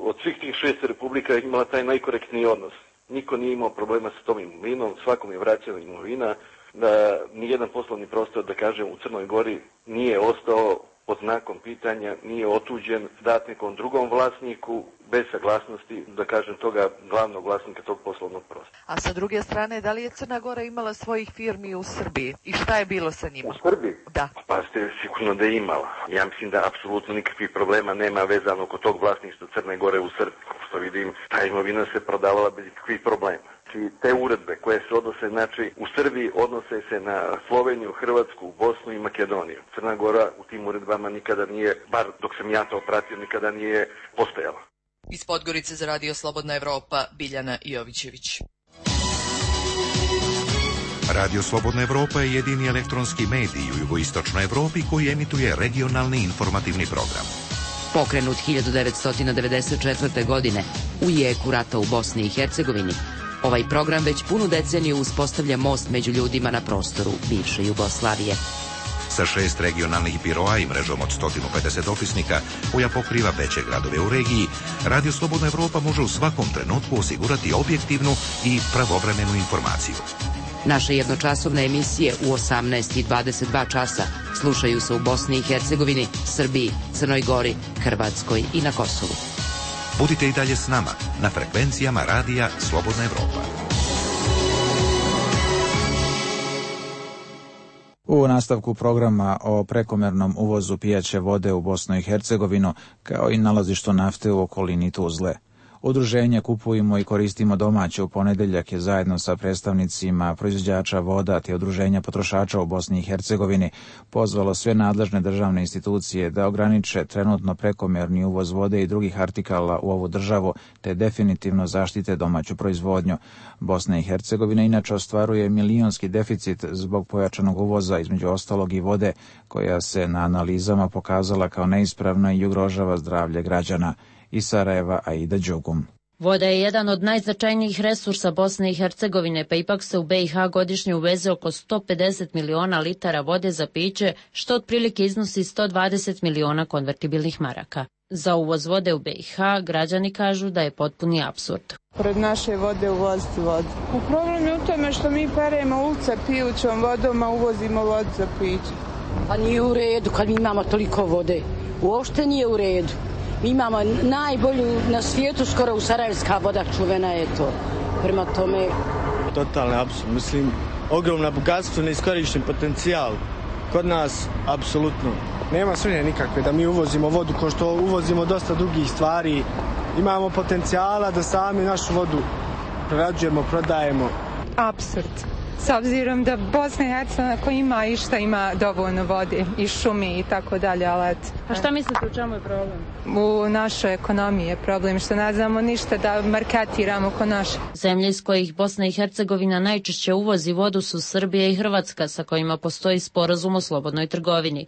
od svih tih šest republika imala taj najkorektniji odnos. Niko nije imao problema sa tom imovinom, svakom je vraćala imovina, da nijedan poslovni prostor, da kažem, u Crnoj Gori nije ostao pod znakom pitanja, nije otuđen, dat nekom drugom vlasniku, bez saglasnosti, da kažem, toga glavnog vlasnika tog poslovnog prostora. A sa druge strane, da li je Crna Gora imala svojih firmi u Srbiji? I šta je bilo sa njima? U Srbiji? Da. Pa ste sigurno da je imala. Ja mislim da apsolutno nikakvih problema nema vezano oko tog vlasništva Crne Gore u Srbiji. Što vidim, ta imovina se prodavala bez nikakvih problema. Znači, te uredbe koje se odnose, znači, u Srbiji odnose se na Sloveniju, Hrvatsku, Bosnu i Makedoniju. Crna Gora u tim uredbama nikada nije, bar dok sam ja to pratio, nikada nije postojala. Iz Podgorice za Radio Slobodna Evropa, Biljana Jovićević. Radio Slobodna Evropa je jedini elektronski medij u jugoistočnoj Evropi koji emituje regionalni informativni program. Pokrenut hiljadu devetsto devedeset četvrte. godine u jeku rata u Bosni i Hercegovini, ovaj program već punu deceniju uspostavlja most među ljudima na prostoru bivše Jugoslavije. Sa šest regionalnih biroa i mrežom od sto pedeset opisnika koja pokriva veće gradove u regiji, Radio Slobodna Evropa može u svakom trenutku osigurati objektivnu i pravovremenu informaciju. Naše jednočasovne emisije u osamnaest i dvadeset dva časa slušaju se u Bosni i Hercegovini, Srbiji, Crnoj Gori, Hrvatskoj i na Kosovu. Budite i dalje s nama na frekvencijama Radija Slobodna Evropa. U nastavku programa o prekomernom uvozu pijaće vode u Bosnu i Hercegovinu, kao i nalazištu nafte u okolini Tuzle. Udruženje Kupujmo i koristimo domaće u ponedeljak je zajedno sa predstavnicima proizvođača voda te udruženja potrošača u Bosni i Hercegovini pozvalo sve nadležne državne institucije da ograniče trenutno prekomerni uvoz vode i drugih artikala u ovu državu te definitivno zaštite domaću proizvodnju. Bosna i Hercegovina inače ostvaruje milionski deficit zbog pojačanog uvoza, između ostalog i vode, koja se na analizama pokazala kao neispravna i ugrožava zdravlje građana. Iz Sarajeva, Aida Đugum. Voda je jedan od najznačajnijih resursa Bosne i Hercegovine, pa ipak se u be i ha godišnje uveze oko sto pedeset miliona litara vode za piće, što otprilike iznosi sto dvadeset miliona konvertibilnih maraka. Za uvoz vode u be i ha građani kažu da je potpuni apsurd. Pored naše vode uvoziti vodu. Problem je u tome što mi peremo ulice pijućom vodom, a uvozimo vodu za piće. Pa nije u redu kad mi imamo toliko vode. Uopšte nije u redu. Mi imamo najbolju na svijetu, skoro u sarajevska voda čuvena je to. Prema tome... Totalni apsurd. Mislim, ogromna bogatstvo, neiskorišten potencijal. Kod nas, apsolutno. Nema sumnje nikakve da mi uvozimo vodu kao što uvozimo dosta drugih stvari. Imamo potencijala da sami našu vodu prerađujemo, prodajemo. Apsurd. S obzirom da Bosna i Hercegovina koja ima i šta ima dovoljno vode i šumi i tako dalje, ali eto. A šta mislite u čemu je problem? U našoj ekonomiji je problem što ne znamo ništa da marketiramo ko naše. Zemlje iz kojih Bosna i Hercegovina najčešće uvozi vodu su Srbija i Hrvatska, sa kojima postoji sporazum o slobodnoj trgovini.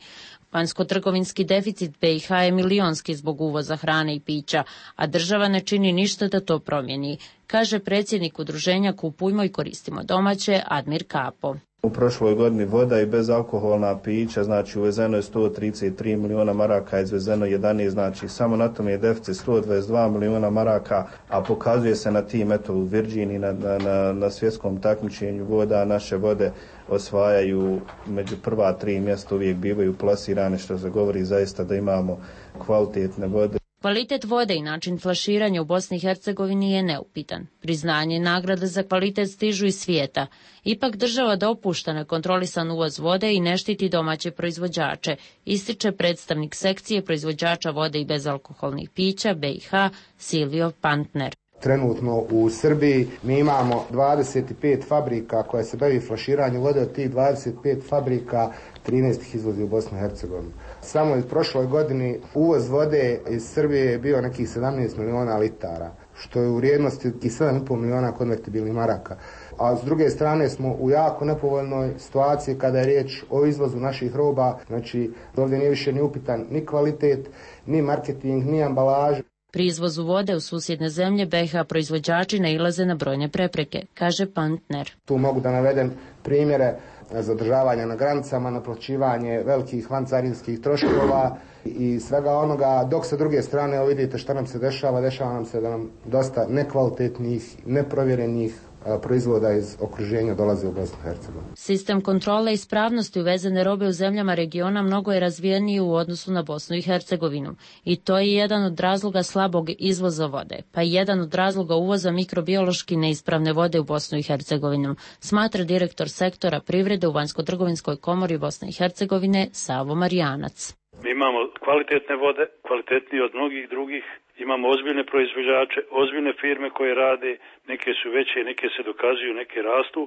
Vanjsko-trgovinski deficit be i ha je milionski zbog uvoza hrane i pića, a država ne čini ništa da to promijeni, kaže predsjednik udruženja Kupujmo i koristimo domaće, Admir Kapo. U prošloj godini voda i bezalkoholna pića, znači uvezeno je sto trideset tri miliona maraka, izvezeno jedanaest, znači samo na tom je deficit sto dvadeset dva miliona maraka, a pokazuje se na tim, eto u Virginiji, na, na, na svjetskom takmičenju voda, naše vode osvajaju među prva tri mjesta, uvijek bivaju plasirane, što se govori zaista da imamo kvalitetne vode. Kvalitet vode i način flaširanja u Bosni i Hercegovini je neupitan. Priznanje i nagrade za kvalitet stižu iz svijeta. Ipak država dopušta nekontrolisan uvoz vode i ne štiti domaće proizvođače, ističe predstavnik sekcije proizvođača vode i bezalkoholnih pića be i ha Silvio Pantner. trenutno u Srbiji. Mi imamo dvadeset pet fabrika koje se bavi flaširanjem vode, od tih dvadeset pet fabrika trinaest ih izvozi u Bosnu i Hercegovinu. Samo u prošloj godini uvoz vode iz Srbije je bio nekih sedamnaest miliona litara, što je u vrijednosti i sedam i pol miliona konvertibilnih maraka. A s druge strane smo u jako nepovoljnoj situaciji kada je riječ o izvozu naših roba, znači ovdje nije više ni upitan ni kvalitet, ni marketing, ni ambalaža. Pri izvozu vode u susjedne zemlje B iH proizvođači nailaze na brojne prepreke, kaže Pantner. Tu mogu da navedem primjere zadržavanja na granicama, naplaćivanje velikih vancarinskih troškova i svega onoga, dok sa druge strane, evo vidite šta nam se dešava, dešava nam se da nam dosta nekvalitetnih, neprovjerenih proizvoda iz okruženja dolaze u Bosnu i Hercegovinu. Sistem kontrole ispravnosti uvezene robe u zemljama regiona mnogo je razvijeniji u odnosu na Bosnu i Hercegovinu i to je jedan od razloga slabog izvoza vode, pa i jedan od razloga uvoza mikrobiološki neispravne vode u Bosnu i Hercegovinu, smatra direktor sektora privrede u Vanjsko-trgovinskoj komori Bosne i Hercegovine Savo Marijanac. Mi imamo kvalitetne vode, kvalitetnije od mnogih drugih. Imamo ozbiljne proizvođače, ozbiljne firme koje rade, neke su veće, neke se dokazuju, neke rastu.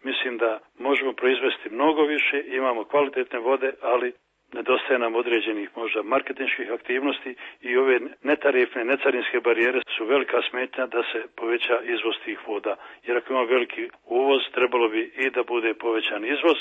Mislim da možemo proizvesti mnogo više, imamo kvalitetne vode, ali nedostaje nam određenih možda marketinških aktivnosti i ove netarifne, necarinske barijere su velika smetnja da se poveća izvoz tih voda. Jer ako ima veliki uvoz, trebalo bi i da bude povećan izvoz,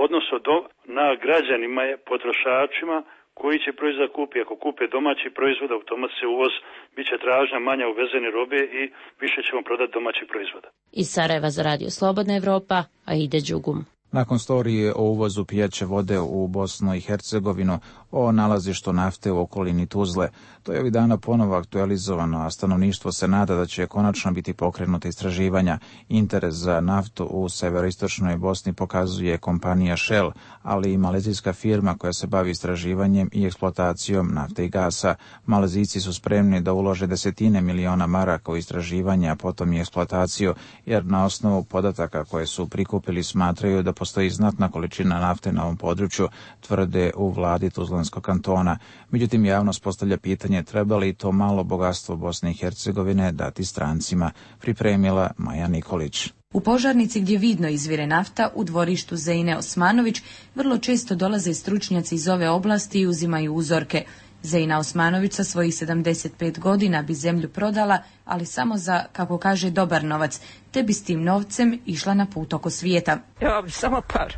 odnosno do, na građanima je, potrošačima, koji će proizvod kupi. Ako kupe domaći proizvod, automatski se uvoz, bit će tražnja manja uvezene robe i više ćemo prodati domaći proizvoda. Iz Sarajeva za Radio Slobodna Evropa, Aida Đugum. Nakon storije o uvozu pijaće vode u Bosnu i Hercegovinu, o nalazištu nafte u okolini Tuzle, to je ovih dana ponovo aktualizovano, a stanovništvo se nada da će konačno biti pokrenuta istraživanja. Interes za naftu u severoistočnoj Bosni pokazuje kompanija Shell, ali i malezijska firma koja se bavi istraživanjem i eksploatacijom nafte i gasa. Malezijci su spremni da ulože desetine miliona maraka u istraživanje, a potom i eksploataciju, jer na osnovu podataka koje su prikupili smatraju da postoji znatna količina nafte na ovom području, tvrde u vladi Tuzlanskog kantona. Međutim, javnost postavlja pitanje treba li to malo bogatstvo Bosne i Hercegovine dati strancima, pripremila Maja Nikolić. U Požarnici gdje vidno izvire nafta, u dvorištu Zeine Osmanović, vrlo često dolaze stručnjaci iz ove oblasti i uzimaju uzorke. Zeina Osmanović sa svojih sedamdeset pet godina bi zemlju prodala, ali samo za, kako kaže, dobar novac, te bi s tim novcem išla na put oko svijeta. Ja bi samo par,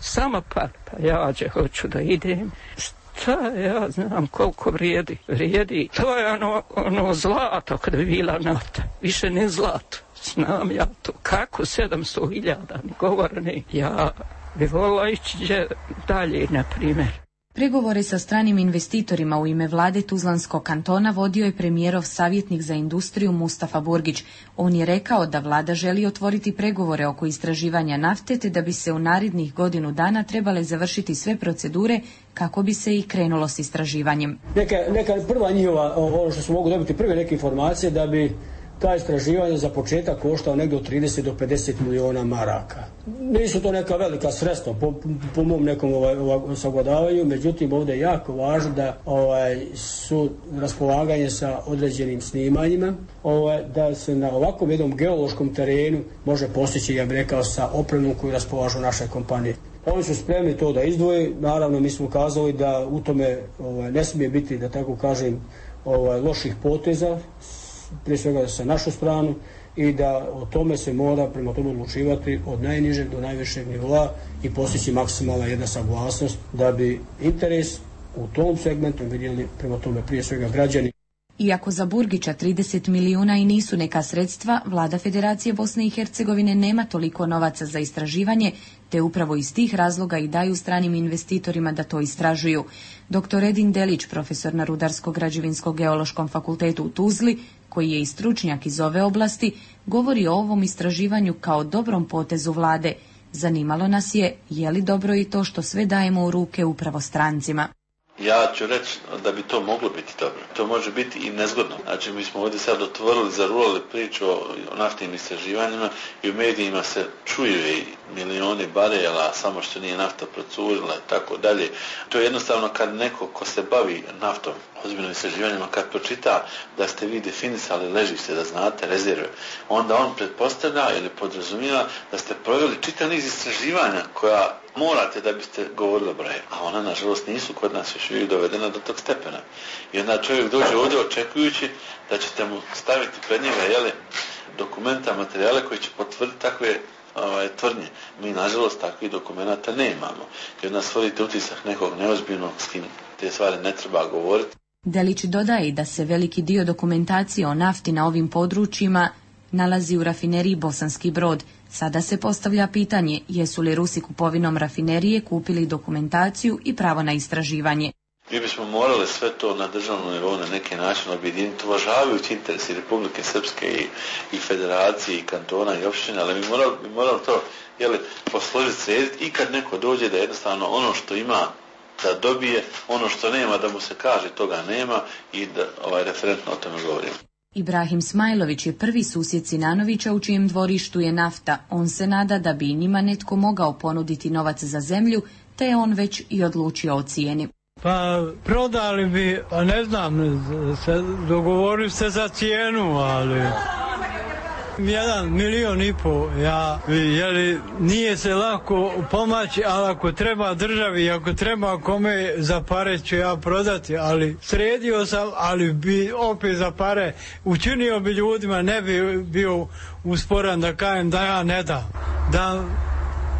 samo par, pa ja će hoću da idem. Šta ja znam koliko vrijedi, vrijedi. To je ono, ono zlato kada bi bila nafta, više ne zlato. Znam ja to, kako sedamsto hiljada, ne govore ne. Ja bi volila ići dalje, na primjer. Pregovore sa stranim investitorima u ime vlade Tuzlanskog kantona vodio je premijerov savjetnik za industriju Mustafa Burgić. On je rekao da vlada želi otvoriti pregovore oko istraživanja nafte, te da bi se u narednih godinu dana trebale završiti sve procedure kako bi se i krenulo s istraživanjem. Neka, neka prva njihova, ono što smo mogu dobiti prve neke informacije, da bi ta istraživanja za početak koštao negdje od trideset do pedeset miliona maraka. Nisu to neka velika sredstva po, po mom nekom ovaj, ovaj, sagledavanju, međutim ovdje je jako važno da ovaj, su raspolaganje sa određenim snimanjima, ovaj, da se na ovakvom jednom geološkom terenu može postići, ja bih rekao, sa opremom koju raspolažu naše kompanije. Oni su spremni to da izdvoje, naravno mi smo kazali da u tome ovaj, ne smije biti, da tako kažem, ovaj, loših poteza, prije svega sa našu stranu, i da o tome se mora prema tome odlučivati od najnižeg do najvišeg nivoa i postići maksimalna jedna saglasnost da bi interes u tom segmentu vidjeli prema tome prije svega građani. Iako za Burgića trideset milijuna i nisu neka sredstva, vlada Federacije Bosne i Hercegovine nema toliko novaca za istraživanje, te upravo iz tih razloga i daju stranim investitorima da to istražuju. Doktor Edin Delić, profesor na Rudarsko-građevinsko-geološkom fakultetu u Tuzli, koji je i stručnjak iz ove oblasti, govori o ovom istraživanju kao dobrom potezu vlade. Zanimalo nas je, je li dobro i to što sve dajemo u ruke upravo strancima. Ja ću reći da bi to moglo biti dobro. To može biti i nezgodno. Znači, mi smo ovdje sad otvorili, zarulali priču o naftnim istraživanjima i u medijima se čuje milioni barela, samo što nije nafta procurila i tako dalje. To je jednostavno kad neko ko se bavi naftom, ozbiljnim istraživanjima, kad pročita da ste vi definisali ležište, da znate rezerve, onda on pretpostavlja ili podrazumijeva da ste proveli čitav niz istraživanja koja morate da biste govorili o broje. A ona, nažalost, nisu kod nas još uvijek dovedena do tog stepena. I onda čovjek dođe ovdje očekujući da ćete mu staviti pred njega, jeli, dokumenta, materijale koji će potvrditi takve ovaj, tvrdnje. Mi, nažalost, takvih dokumenta nemamo. I onda stvorite utisak nekog neozbiljnog s kim te stvari ne treba govoriti. Delić dodaje da se veliki dio dokumentacije o nafti na ovim područjima nalazi u rafineriji Bosanski Brod. Sada se postavlja pitanje jesu li Rusi kupovinom rafinerije kupili dokumentaciju i pravo na istraživanje. Mi bismo morali sve to na državnom nivou na neki način objediniti, uvažavajući interesi Republike Srpske i, i federacije i kantona i opštine, ali mi morali, mi morali to jeli, posložiti, srediti i kad neko dođe da jednostavno ono što ima da dobije, ono što nema da mu se kaže toga nema i da ovaj referentno o tome govorimo. Ibrahim Smajlović je prvi susjed Sinanovića u čijem dvorištu je nafta. On se nada da bi njima netko mogao ponuditi novac za zemlju, te je on već i odlučio o cijeni. Pa prodali bi, a ne znam, se, dogovorili se za cijenu, ali jedan milion i po, ja, jeli, nije se lako pomaći, ali ako treba državi, ako treba kome za pare ću ja prodati, ali sredio sam, ali bi opet za pare učinio bi ljudima, ne bi bio usporan da kažem da ja ne dam, da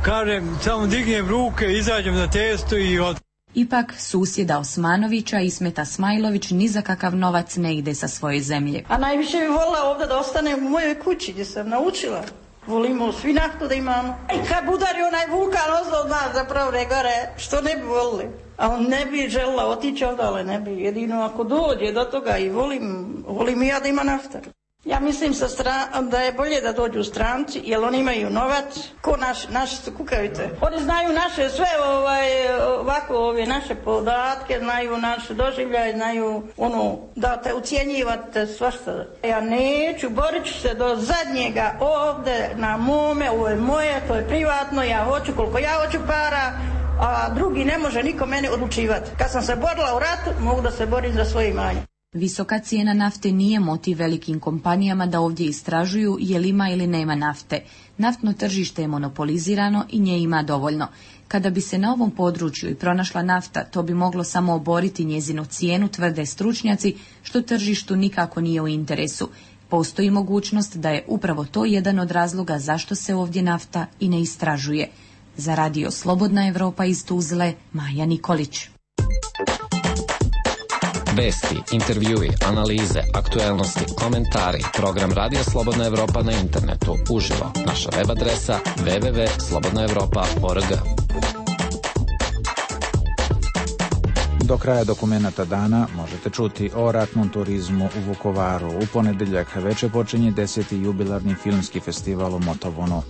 kažem samo dignem ruke, izađem na testu i od... Ipak, susjeda Osmanovića Ismeta Smajlović ni za kakav novac ne ide sa svoje zemlje. A najviše bi volila ovdje da ostane u mojoj kući gdje sam naučila. Volimo svi naftu da imamo. I kad udari onaj vulkan ozlo od nas zapravo ne gore, što ne bi volili. A on ne bi želila otići ovdje, ne bi. Jedino ako dođe do toga i volim, volim i ja da ima nafta. Ja mislim sa stran, da je bolje da dođu stranci, jer oni imaju novac, ko naš, naši su kukavice. Oni znaju naše sve, ovaj, ovako, ove naše podatke, znaju naše doživljaje, znaju ono, da te ucijenjivate svašta. Ja neću, borit ću se do zadnjega ovdje na mome, ovo je moje, to je privatno, ja hoću koliko ja hoću para, a drugi ne može niko mene odlučivati. Kad sam se borila u ratu, mogu da se borim za svoje imanje. Visoka cijena nafte nije motiv velikim kompanijama da ovdje istražuju je li ima ili nema nafte. Naftno tržište je monopolizirano i nje ima dovoljno. Kada bi se na ovom području i pronašla nafta, to bi moglo samo oboriti njezinu cijenu, tvrde stručnjaci, što tržištu nikako nije u interesu. Postoji mogućnost da je upravo to jedan od razloga zašto se ovdje nafta i ne istražuje. Za radio Slobodna Evropa iz Tuzle, Maja Nikolić. Vesti, intervjui, analize, aktuelnosti, komentari, program Radio Slobodna Evropa na internetu, uživo, naša web adresa w w w tačka slobodna evropa tačka org. Do kraja dokumenata dana možete čuti o ratnom turizmu u Vukovaru. U ponedeljak veče počinje deseti jubilarni filmski festival u Motovunu.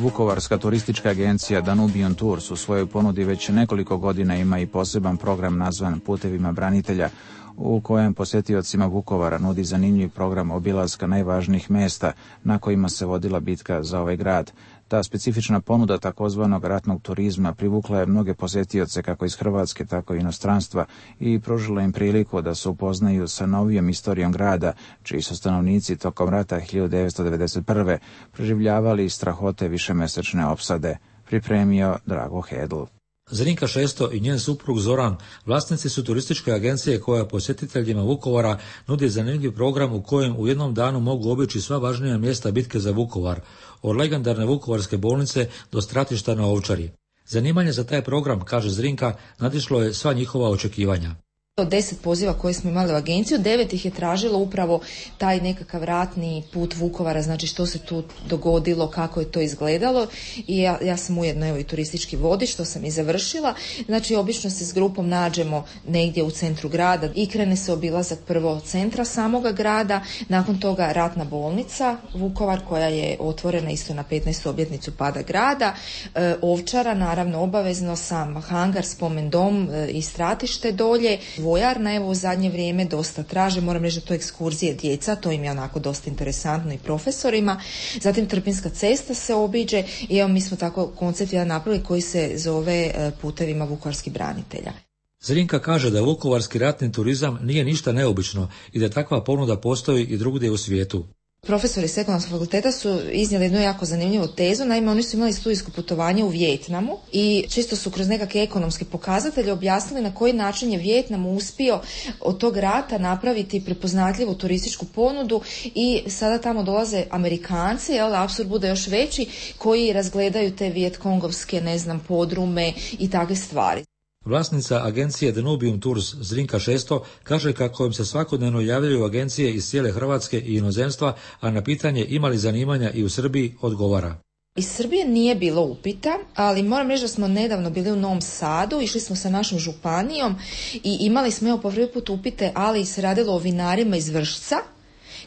Vukovarska turistička agencija Danubion Tours u svojoj ponudi već nekoliko godina ima i poseban program nazvan Putevima branitelja, u kojem posjetiocima Vukovara nudi zanimljiv program obilaska najvažnijih mesta na kojima se vodila bitka za ovaj grad. Ta specifična ponuda takozvanog ratnog turizma privukla je mnoge posjetioce kako iz Hrvatske, tako i inostranstva i pružila im priliku da se upoznaju sa novijom istorijom grada, čiji su stanovnici tokom rata hiljadu devetsto devedeset prve preživljavali strahote višemesečne opsade. Pripremio Drago Hedl. Zrinka Šesto i njen suprug Zoran vlasnici su turističke agencije koja posjetiteljima Vukovara nudi zanimljiv program u kojem u jednom danu mogu obići sva važnija mjesta bitke za Vukovar, od legendarne vukovarske bolnice do stratišta na Ovčari. Zanimanje za taj program, kaže Zrinka, nadišlo je sva njihova očekivanja. Od deset poziva koje smo imali u agenciju, devet ih je tražilo upravo taj nekakav ratni put Vukovara, znači što se tu dogodilo, kako je to izgledalo i ja, ja sam ujedno evo i turistički vodič, što sam i završila. Znači obično se s grupom nađemo negdje u centru grada i krene se obilazak prvo centra samoga grada, nakon toga ratna bolnica Vukovar koja je otvorena isto na petnaestu obljetnicu pada grada, e, Ovčara naravno obavezno, sam hangar, spomen dom e, i stratište dolje, vojarna, evo u zadnje vrijeme dosta traže, moram reći da to ekskurzije djeca, to im je onako dosta interesantno i profesorima. Zatim Trpinjska cesta se obiđe i evo mi smo tako koncept jedan napravili koji se zove Putevima vukovarskih branitelja. Zrinka kaže da vukovarski ratni turizam nije ništa neobično i da takva ponuda postoji i drugdje u svijetu. Profesori s Ekonomskog fakulteta su iznijeli jednu jako zanimljivu tezu, naime oni su imali studijsko putovanje u Vijetnamu i čisto su kroz nekakve ekonomske pokazatelje objasnili na koji način je Vijetnam uspio od tog rata napraviti prepoznatljivu turističku ponudu i sada tamo dolaze Amerikanci, jel, apsurd bude još veći, koji razgledaju te vijetkongovske, ne znam, podrume i takve stvari. Vlasnica agencije Danubium Tours Zrinka Šesto kaže kako im se svakodnevno javljaju agencije iz cijele Hrvatske i inozemstva, a na pitanje ima li zanimanja i u Srbiji odgovara. Iz Srbije nije bilo upita, ali moram reći da smo nedavno bili u Novom Sadu, išli smo sa našom županijom i imali smo evo po prvi put upite, ali se radilo o vinarima iz Vršca,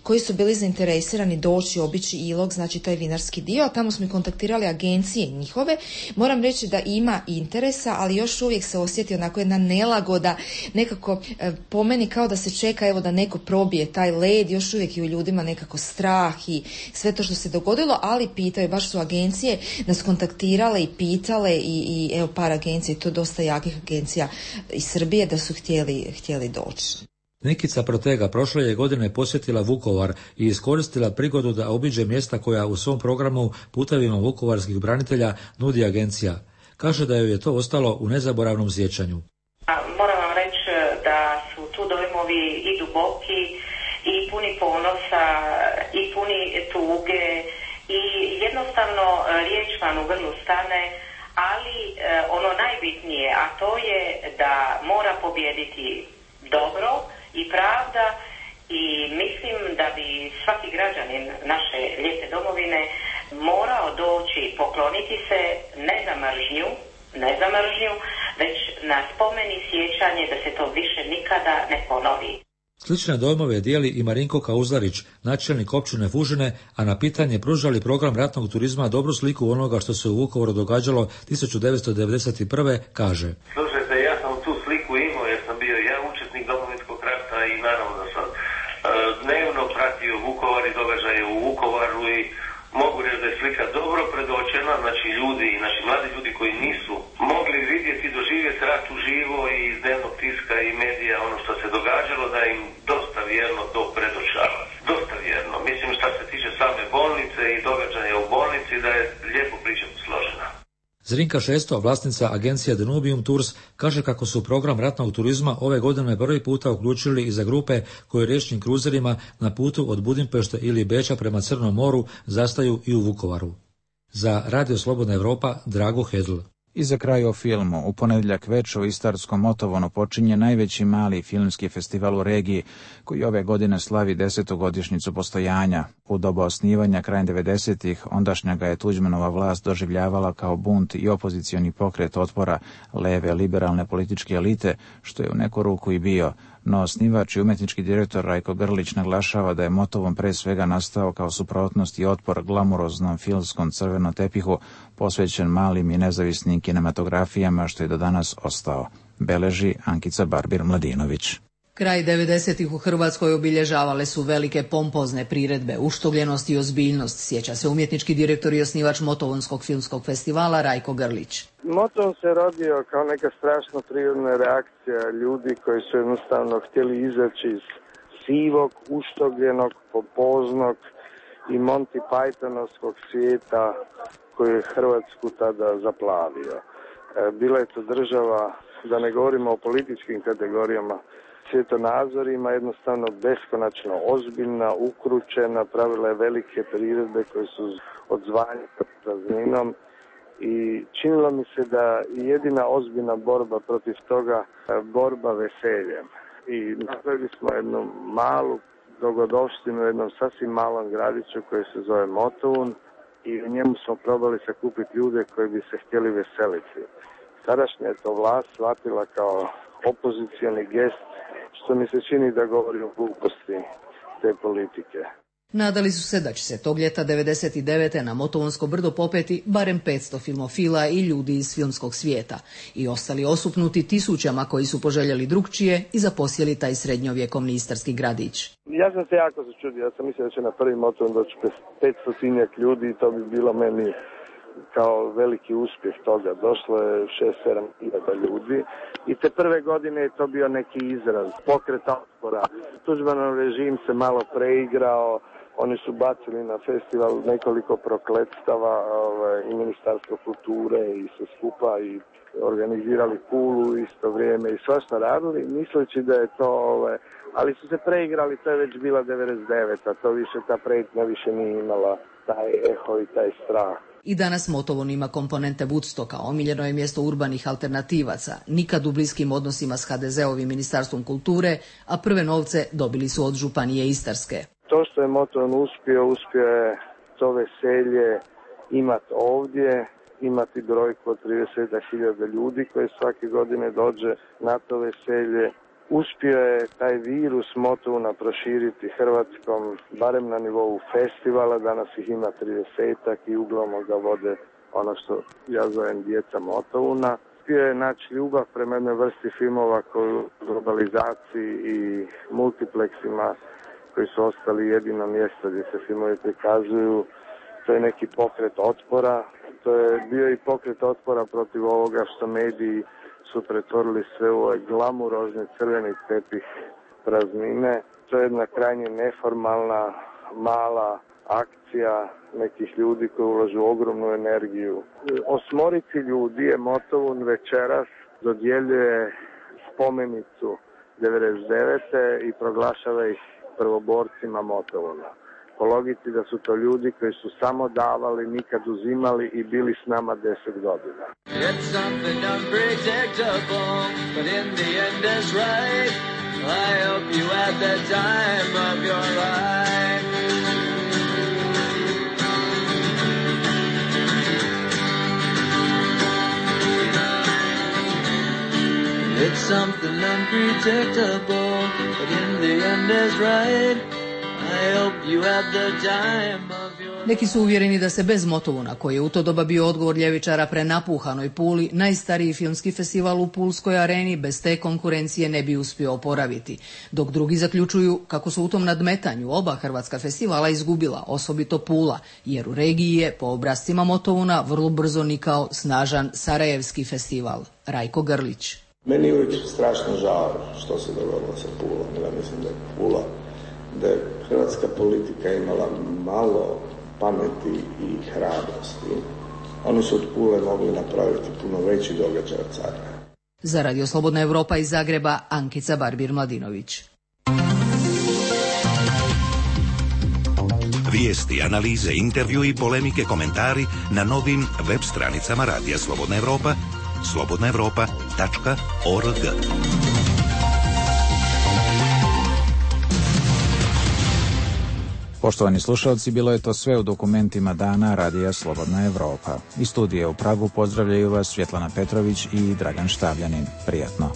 koji su bili zainteresirani doći, obići Ilok, znači taj vinarski dio, a tamo smo i kontaktirali agencije njihove. Moram reći da ima interesa, ali još uvijek se osjeti onako jedna nelagoda, nekako e, po meni kao da se čeka evo da neko probije taj led, još uvijek je u ljudima nekako strah i sve to što se dogodilo, ali pitaju, baš su agencije nas kontaktirale i pitale i, i evo par agencija, to dosta jakih agencija iz Srbije da su htjeli, htjeli doći. Nikica Protega prošle je godine posjetila Vukovar i iskoristila prigodu da obiđe mjesta koja u svom programu Putevima vukovarskih branitelja nudi agencija. Kaže da joj je to ostalo u nezaboravnom sjećanju. Moram vam reći da su tu dojmovi i duboki i puni ponosa i puni tuge i jednostavno riječ vam u grlu stane, ali ono najbitnije, a to je da mora pobijediti dobro i pravda i mislim da bi svaki građanin naše lijepe domovine morao doći pokloniti se ne za mržnju, ne za mržnju, već na spomeni sjećanje da se to više nikada ne ponovi. Slične dojmove dijeli i Marinko Kauzlarić, načelnik općine Fužine, a na pitanje pružali program ratnog turizma dobru sliku onoga što se u Vukovaru događalo tisuću devetsto devedeset prve. kaže. Slušajte, ja sam tu sliku imao jer sam bio ja učesnik Domovinskog rata i naravno da sam uh, dnevno pratio Vukovar i događaje u Vukovaru i mogu reći da je slika dobro predočena, znači ljudi i naši mladi ljudi koji nisu mogli vidjeti i doživjeti rat uživo i iz dnevnog tiska i medija ono što se događalo, da im dosta vjerno to predočava. Dosta vjerno. Mislim što se tiče same bolnice i događaja u bolnici da je lijepo priča složena. Zrinka Šesto, vlasnica agencije Danubium Tours, kaže kako su program ratnog turizma ove godine prvi puta uključili i za grupe koje riječnim kruzerima na putu od Budimpešte ili Beča prema Crnom moru zastaju i u Vukovaru. Za Radio Slobodna Evropa, Drago Hedl. I za kraj o filmu. U ponedjeljak veče u Istarskom Motovonu počinje najveći mali filmski festival u regiji, koji ove godine slavi desetu godišnjicu postojanja. U doba osnivanja krajem devedesetih ondašnja ga je Tuđmanova vlast doživljavala kao bunt i opozicioni pokret otpora leve liberalne političke elite, što je u neku ruku i bio. No osnivač i umetnički direktor Rajko Grlić naglašava da je Motovun pre svega nastao kao suprotnost i otpor glamuroznom filmskom crvenom tepihu posvećen malim i nezavisnim kinematografijama, što je do danas ostao. Beleži Ankica Barbir-Mladinović. Kraj devedesetih u Hrvatskoj obilježavale su velike pompozne priredbe, uštogljenost i ozbiljnost, sjeća se umjetnički direktor i osnivač Motovunskog filmskog festivala Rajko Grlić. Motovun se rodio kao neka strašno prirodna reakcija ljudi koji su jednostavno htjeli izaći iz sivog, uštogljenog, pompoznog i Monty Pythonovskog svijeta koji je Hrvatsku tada zaplavio. Bila je to država, da ne govorimo o političkim kategorijama, svjetonazorima, jednostavno beskonačno ozbiljna, ukručena, pravila je velike priredbe koje su odzvanje prazninom i činilo mi se da jedina ozbiljna borba protiv toga je borba veseljem. I napravili smo jednu malu dogodovštinu u jednom sasvim malom gradiću koji se zove Motovun i u njemu smo probali sakupiti ljude koji bi se htjeli veseliti. Sadašnja je to vlast shvatila kao opozicioni gest, što mi se čini da govori o gluposti te politike. Nadali su se da će se tog ljeta devedeset devete na Motovunsko brdo popeti barem petsto filmofila i ljudi iz filmskog svijeta i ostali osupnuti tisućama koji su poželjeli drugčije i zaposjeli taj srednjovjekovni istarski gradić. Ja sam se jako začudio, ja sam mislio da će na prvi Motovun doći petsto ljudi i to bi bilo meni kao veliki uspjeh toga. Došlo je šest sedam hiljada ljudi i te prve godine je to bio neki izraz pokreta otpora. Tuđmanov režim se malo preigrao, oni su bacili na festival nekoliko prokletstava ovaj, i Ministarstvo kulture i sve skupa i organizirali Pulu u isto vrijeme i svašta radili, misleći da je to, ovaj, ali su se preigrali, to je već bila devedeset deveta, to više, ta prijetnja više nije imala taj eho i taj strah. I danas Motovun ima komponente Woodstocka, omiljeno je mjesto urbanih alternativaca, nikad u bliskim odnosima s ha de zeovim Ministarstvom kulture, a prve novce dobili su od Županije Istarske. To što je Motovun uspio, uspio je to veselje imati ovdje, imati brojku od trideset hiljada ljudi koji svake godine dođe na to veselje. Uspio je taj virus Motovuna proširiti Hrvatskom, barem na nivou festivala, danas ih ima tridesetak i uglavnom ga vode ono što ja zovem djeca Motovuna. Uspio je naći ljubav prema jednoj vrsti filmova koju u globalizaciji i multiplexima koji su ostali jedino mjesto gdje se filmovi prikazuju. To je neki pokret otpora. To je bio i pokret otpora protiv ovoga što mediji su pretvorili sve u ovaj glamurozni crveni tepih praznine. To je jedna krajnje neformalna, mala akcija nekih ljudi koji ulažu ogromnu energiju. Osmorici ljudi je Motovun večeras dodjeljuje spomenicu devedeset devete i proglašava ih prvoborcima Motovuna. Po logici da su to ljudi koji su samo davali, nikad uzimali i bili s nama deset godina. It's something unpredictable, but in the end is right. I hope you had the time of your life. It's something unpredictable, but in the end is right. Neki su uvjereni da se bez Motovuna, koji je u to doba bio odgovor ljevičara prenapuhanoj Puli, najstariji filmski festival u Pulskoj areni bez te konkurencije ne bi uspio oporaviti, dok drugi zaključuju kako su u tom nadmetanju oba hrvatska festivala izgubila, osobito Pula, jer u regiji je po obrascima Motovuna vrlo brzo nikao snažan Sarajevski festival. Rajko Grlić. Meni je uvijek strašno žao što se dogodilo sa Pulom. Ja mislim da je Pula, da je hrvatska politika imala malo pameti i hrabrosti. Oni su od Pule mogli napraviti puno veći događaj od sada. Za Radio Slobodna Evropa iz Zagreba, Ankica Barbir-Mladinović. Vijesti, analize, intervju i polemike, komentari na novim web stranicama Radija Slobodna Evropa, slobodna evropa tačka org. Poštovani slušalci, bilo je to sve u dokumentima dana Radija Slobodna Evropa. Iz studija u Pragu pozdravljaju vas Svjetlana Petrović i Dragan Štavljanin. Prijatno.